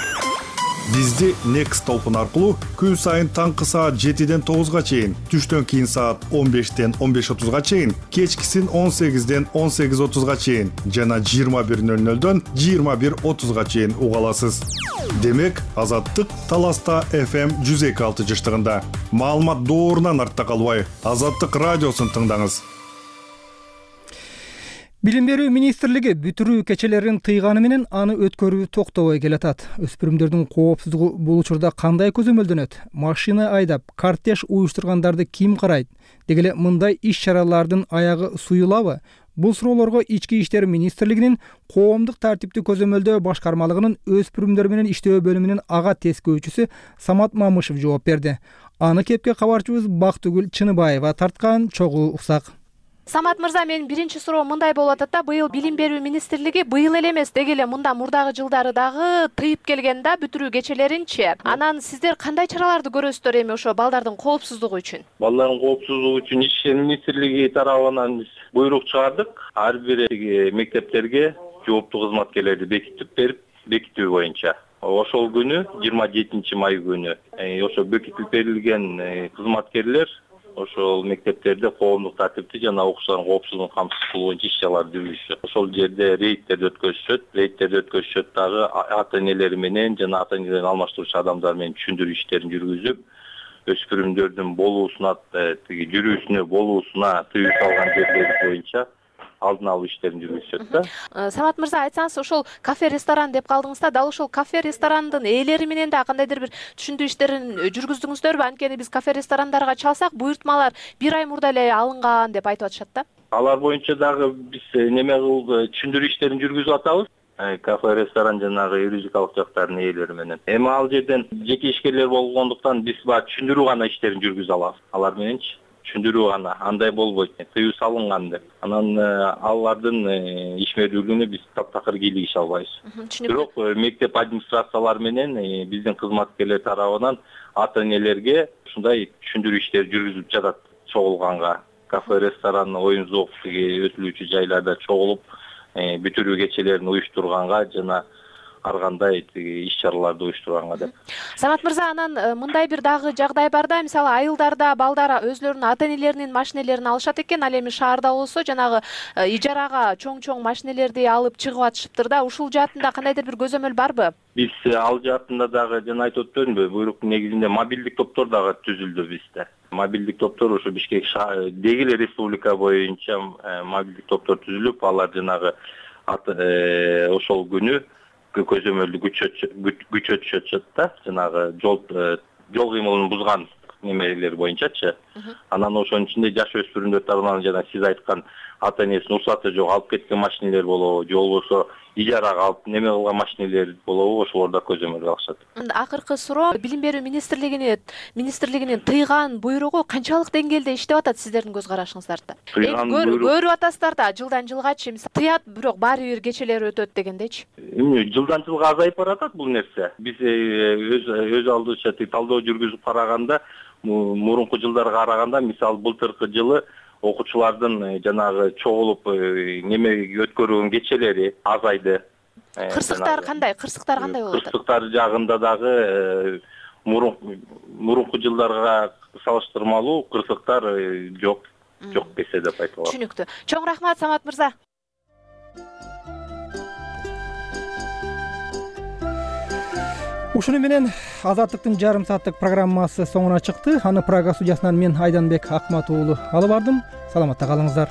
Бизди Next толкун аркылуу күн сайын таңкы саат 7-ден 9-га чейин, түштөн кийин саат 15-ден 15:30-га чейин, кечкисин 18-ден 18:30-га чейин жана 21:00-дөн 21:30-га чейин уга аласыз. Демек, Азаттык Таласта FM 102.6 жыштыгында. Маалымат доорунан артта калбай, Азаттык радиосун тыңдаңыз. Билим берүү министрлиги бүтүрүү кечелерин тыйганы менен аны өткөрүү токтобой келатат. Өспүрүмдөрдүн коопсуздугу бул учурда кандай көзөмөлдөнөт? Машина айдап, кортеж уюштургандарды ким карайт? Деги эле мындай иш-чаралардын аягы суюлабы? Бул суроолорго Ички иштер министрлигинин коомдук тартипти көзөмөлдөө башкармалыгынын өспүрүмдөр менен иштөө бөлүмүнүн ага тескөөчүсү Самат Мамышев жооп берди. Аны кепке кабарчыбыз Бактыгүл Чыныбаева тарткан, чогуу уксак. Самат мырза, менин биринчи суроо мындай болуп атат да, быйыл Билим берүү министрлиги быйыл эле эмес, деги эле мында мурдагы жылдары дагы тыйып келген да бүтүрүү кечелеринчи. Анан сиздер кандай чараларды көрөсүздөр эми ошо балдардын коопсуздугу үчүн? Балдардын коопсуздугу үчүн Ички иштер министрлиги тарабынан биз буйрук чыгардык. Ар бир мектептерге жооптуу кызматкерлерди бекитип берип, бекитүү боюнча. Ошол күнү 27 май күнү ошо бекитип берилген кызматкерлер ошол мектептерде коомдук тартипти жана окуучулардын коопсуздугун камсыз кылуу боюнча иш-чараларды жүргүзүшөт. Ошол жерде рейдтерди өткөзүшөт дагы ата энелери менен жана ата энелерин алмаштыруучу адамдар менен түшүндүрүү иштерин жүргүзүп, өспүрүмдөрдүн болуусуна, жүрүүсүнө болуусуна тыюу салган жерлери боюнча алдын алуу иштерин жүргүзүшөт да. Самат мырза, айтсаңыз, ошол кафе-ресторан деп калдыңыз да, дал ошол кафе-ресторандын ээлери менен да кандайдыр бир түшүндүрүү иштерин жүргүздүңүздөрбү? Анткени биз кафе-ресторандарға чалсак, буйртмалар бир ай мурда эле алынган деп айтып атышат да. Алар боюнча дагы биз неме кылып түшүндүрүү иштерин жүргүзүп атабыз. Кафе-ресторан жанагы юридикалык жактардын ээлери менен. Эми ал жерден жеке ишкерлер болгондуктан биз баа түшүндүрүү гана иштерин жүргүзө алабыз. Алар мененчи түшүндүрүү гана, андай болбойт, тыюу салынган деп. Анан алардын ишмердүүлүгүнө биз таптакыр кийлигише албайбыз. Бирок мектеп администрациялары менен биздин кызматкерлер тарабынан ата энелерге ушундай түшүндүрүү иштери жүргүзүлүп жатат чогулганга. Кафе, ресторан, оюн зоок өтүлүүчү жайларда чогулуп бүтүрүү кечелерин уюштурганга жана ар кандай иш чараларды уюштурганга деп. Самат мырза, анан мындай бир дагы жагдай бар да, мисалы айылдарда балдар өзлөрүнүн ата энелеринин машинелерин алышат экен, ал эми шаарда болсо жанагы ижарага чоң машинелерди алып чыгып атышыптыр да. Ушул жаатында кандайдыр бир көзөмөл барбы? Биз ал жаатында дагы жана айтып өтпөдүмбү, буйруктун негизинде мобилдик топтор дагы түзүлдү бизде. Мобилдик топтор ушу Бишкек деги эле республика боюнча мобилдик топтор түзүлүп, алар жанагы ошол күнү көзөмөлдү күчөтүшөт да, жанагы жол кыймылын бузган немелер боюнчачы. Анан ошонун ичинде жаш өспүрүмдөр тарабынан жана сиз айткан ата энесинин уруксаты жок алып кеткен машинелер болобу, же болбосо ижарага алып неме кылган машинелер болобу, ошолорда көзөмөлгө алышат. Акыркы суроо, билим берүү министрлигинин тыйган буйругу канчалык деңгээлде иштеп атат сиздердин көз карашыңыздарда? Көрүп атасыздар да жылдан жылгачы тыят, бирок баары бир кечелер өтөт дегендечи. Жылдан жылга азайып баратат бул нерсе. Биз өз алдыбызча талдоо жүргүзүп караганда, мурунку жылдарга караганда, мисалы былтыркы жылы окуучулардын жанагы чогулуп неме өткөрүүнүн кечелери азайды. Кырсыктар кандай болуп атат? Кырсыктар жагында дагы мурунку жылдарга салыштырмалуу кырсыктар жок десе деп айта алам. Түшүнүктүү. Чоң рахмат Самат мырза. Ушуну менен Азаттыктын жарым сааттык программасы соңуна чыкты. Аны Прага студиясынан мен Айданбек Акмат уулу алып бардым. Саламатта калыңыздар.